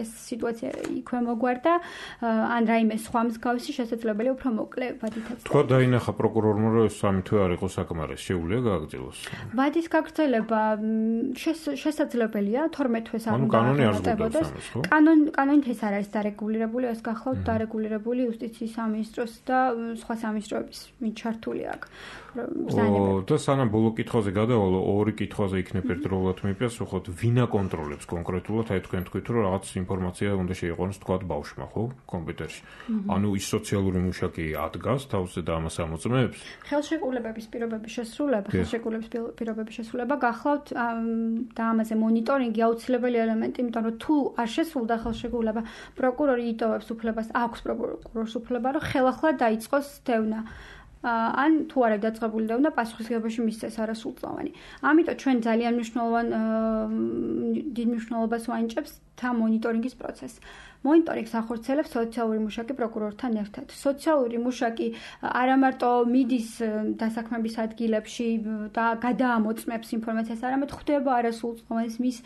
ეს სიტუაცია იქვე მოგვარდა, ან რაიმე სხვა მსგავსი შესაძლებელია უფრო მოკლე ვადითაც. თქვა დაინახა პროკურორმა რომ ეს სამი თვე არ იყოს საკმარისი, შეუძლია გააგრძელოს. ვადის გაგრძელება შესაძლებელია, თორმეტი თვეს არ უნდა აღწევოდეს. კანონ კანონით ეს არ არის დარეგულირებული, ეს გახლავთ დარეგულირებული იუსტიციის სამინისტროს და სხვა სამინისტროების ჩართული აქ. და სანამ ბოლო კითხვაზე გადავალო, ორი კითხვაზე იქნებ ერთდროულად მიპიას, უხოთ ვინ აკონტროლებს კონკრეტულად, აი თქვენ თქვით რომ რაღაც ინფორმაცია უნდა შეიყვანოს თქვათ ბავშვმა, ხო, კომპიუტერში. ანუ ის სოციალური მუშაკი ადგას თავზე და ამას ამოწმებს? ხელშეკრულებების პირობების შესრულება, ხელშეკრულების პირობების შესრულება გახლავთ და ამაზე მონიტორინგი აუცილებელი ელემენტი, იმიტომ რომ თუ არ შესრულდა ხელშეკრულება, პროკურორი იტოვებს უფლებას, აქვს პროკურორს უფლება, რომ ხელახლა დაიწყოს დევნა. ან თუ არ არის დაწყებული დევნა, პასუხისმგებლობაში მისცეს არასრულწლოვანი. ამიტომ ჩვენ ძალიან მნიშვნელოვან დიდ მნიშვნელობას ვანიჭებთ თა მონიტორინგის პროცესს. მონიტორინგს ახორციელებს სოციალური მუშაკი პროკურორთან ერთად. სოციალური მუშაკი არა მარტო მიდის დასაქმების ადგილებში და გადაამოწმებს ინფორმაციას, არამედ ხვდება არასრულწლოვანის მის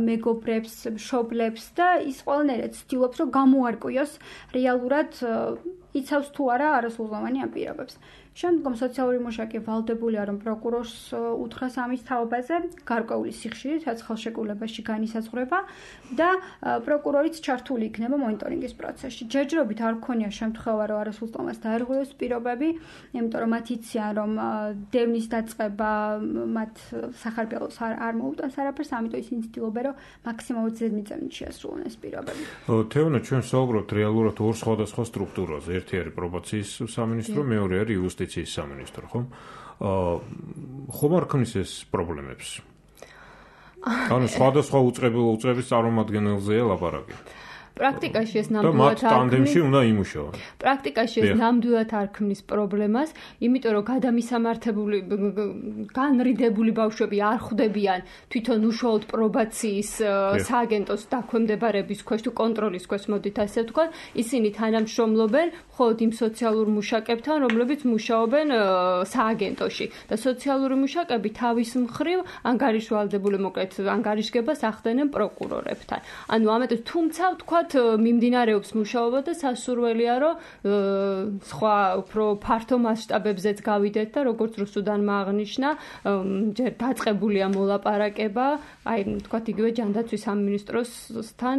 მეგობრებს, მშობლებს და ის ყველანაირად ცდილობს, რომ გამოარკვიოს რეალურად იცავს თუ არა არასრულწლოვანი ამ პირობებს. შემდგომ სოციალური მუშაკი ვალდებულია, რომ პროკურორს უთხრას ამის თაობაზე, გარკვეული სიხშირით, რაც ხელშეკრულებაში განისაზღვრება და პროკურორიც ჩართული იქნება მონიტორინგის პროცესში. ჯერჯერობით არ გქონია შემთხვევა, რომ არასრულწლოვანს დაერღვიოს პირობები, იმიტომ რომ მათ იციან, რომ დევნის დაწყება მათ სახარბიელოს არ მოუტანს არაფერს, ამიტომ ისინი ცდილობენ, რომ მაქსიმალურად ზედმიწევნით შეასრულონ ეს პირობები. თეონა, ჩვენ საუბრობთ რეალურად ორ სხვადასხვა სტრუქტურაზე. ერთი არის პრობაციის სამინისტრო, მეორე არის იუსტიციის სამინისტრო, ხო? აა ხომ არ ქმნის ეს პრობლემებს? ანუ სხვადასხვა უწყების წარმომადგენელზეა ლაპარაკი. პრაქტიკაში ეს ნამდვილად არ ქმნის. და მათ ტანდემში უნდა იმუშაონ. პრაქტიკაში ეს ნამდვილად არ ქმნის პრობლემას, იმიტომ რომ გადამისამართებული განრიდებული ბავშვები არ ხვდებიან თვითონ უშუალოდ პრობაციის სააგენტოს დაქვემდებარების ქვეშ თუ კონტროლის ქვეშ, მოდით ასე ვთქვათ, ისინი თანამშრომლობენ მხოლოდ იმ სოციალურ მუშაკებთან, რომლებიც მუშაობენ სააგენტოში და სოციალური მუშაკები თავის მხრივ ანგარიშვალდებული მოკლედ ანგარიშგებას ახდენენ პროკურორებთან. ანუ ამიტომ თუმცა ვთქვათ მიმდინარეობს მუშაობა და სასურველია რომ სხვა უფრო ფართო მასშტაბებზეც გავიდეთ და როგორც რუსუდანმა აღნიშნა, ჯერ დაწყებულია მოლაპარაკება, აი ვთქვათ იგივე ჯანდაცვის სამინისტროსთან,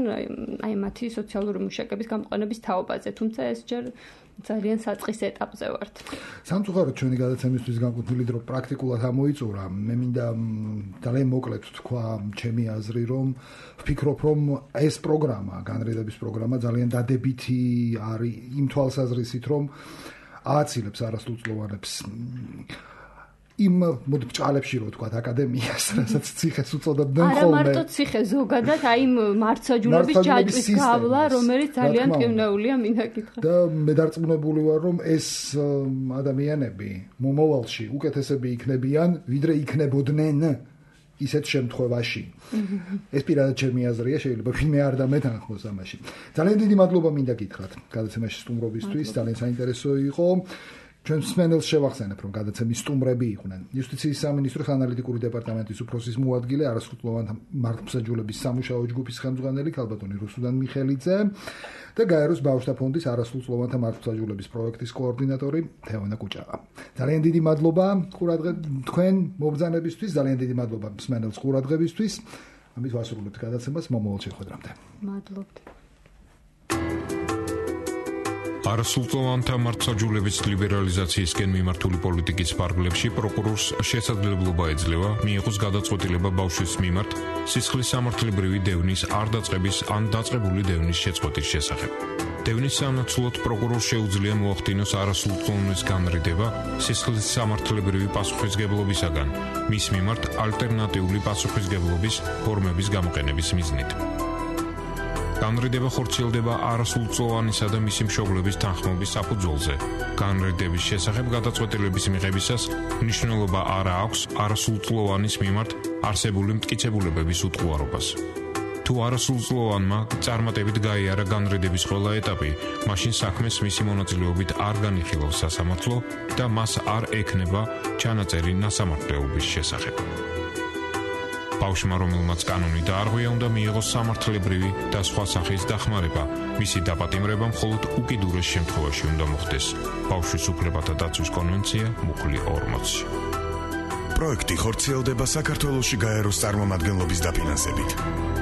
აი მათი სოციალური მუშაკების გამოყენების თაობაზე, თუმცა ეს ჯერ ძალიან საწყის ეტაპზე ვართ. სამწუხაროდ ჩვენი გადაცემისთვის განკუთვნილი დრო პრაქტიკულად ამოიწურა. მე მინდა ძალიან მოკლედ თქვა ჩემი აზრი, რომ ვფიქრობ, რომ ეს პროგრამა, განრიდების პროგრამა ძალიან დადებითი არის იმ თვალსაზრისით, რომ ააცილებს არასრულწლოვანებს იმ მოდი ბჭყალებში რო თქვა აკადემიას, რასაც ციხეს უწოდებდნენ ხოლმე. არა მარტო ციხე, ზოგადად აი იმ მართლმსაჯულების ჯაჭვის გავლა, რომელიც ძალიან ტკივნეულია, მინდა გითხრა. და მე დარწმუნებული ვარ, რომ ეს ადამიანები მომავალში უკეთესები იქნებიან, ვიდრე იქნებოდნენ ისეთ შემთხვევაში. ეს პირადად ჩემი აზრია, შეიძლება ვინმე არ დამეთანხმოს ამაში. ძალიან დიდი მადლობა მინდა გითხრათ გადაცემაში სტუმრობისთვის, ძალიან საინტერესო იყო. ჩვენ მსმენელს შევახსენებ, რომ გადაცემის სტუმრები იყვნენ იუსტიციის სამინისტროს ანალიტიკური დეპარტამენტის უფროსის მოადგილე, არასრულწლოვანთა მართლმსაჯულების სამუშაო ჯგუფის ხელმძღვანელი ქალბატონი რუსუდან მიხელიძე და გაეროს ბავშვთა ფონდის არასრულწლოვანთა მართლმსაჯულების პროექტის კოორდინატორი თეონა კუჭაყა. ძალიან დიდი მადლობა თქვენ მობრძანებისთვის, ძალიან დიდი მადლობა მსმენელს ყურადღებისთვის. ამით ვასრულებთ გადაცემას, მომავალ შეხვედრამდე. მადლობთ. არასრულწლოვანთა მართლმსაჯულების ლიბერალიზაციისკენ მიმართული პოლიტიკის ფარგლებში პროკურორს შესაძლებლობა ეძლევა მიიღოს გადაწყვეტილება ბავშვის მიმართ სისხლის სამართლებრივი დევნის არ დაწყების ან დაწყებული დევნის შეწყვეტის შესახებ. დევნის სამნაცვლოდ პროკურორს შეუძლია მოახდინოს არასრულწლოვანის განრიდება სისხლის სამართლებრივი პასუხისგებლობისაგან მის მიმართ ალტერნატიული პასუხისგებლობის ფორმების გამოყენების მიზნით. განრიდება ხორციელდება არასრულწლოვანისა და მისი მშობლების თანხმობის საფუძველზე. განრიდების შესახებ გადაწყვეტილების მიღებისას მნიშვნელობა არ აქვს არასრულწლოვანის მიმართ არსებული მტკიცებულებების უტყუარობას. თუ არასრულწლოვანმა წარმატებით გაიარა განრიდების ყველა ეტაპი, მაშინ საქმეს მისი მონაწილეობით არ განიხილავს სასამართლო და მას არ ექნება ჩანაწერი ნასამართლეობის შესახებ. ბავშვმა, რომელმაც კანონი დაარღვია, უნდა მიიღოს სამართლებრივი და სხვა სახის დახმარება. მისი დაპატიმრება მხოლოდ უკიდურეს შემთხვევაში უნდა მოხდეს. ბავშვის უფლებათა დაცვის კონვენცია მუხლი ორმოცი. პროექტი ხორციელდება საქართველოში გაეროს წარმომადგენლობის დაფინანსებით.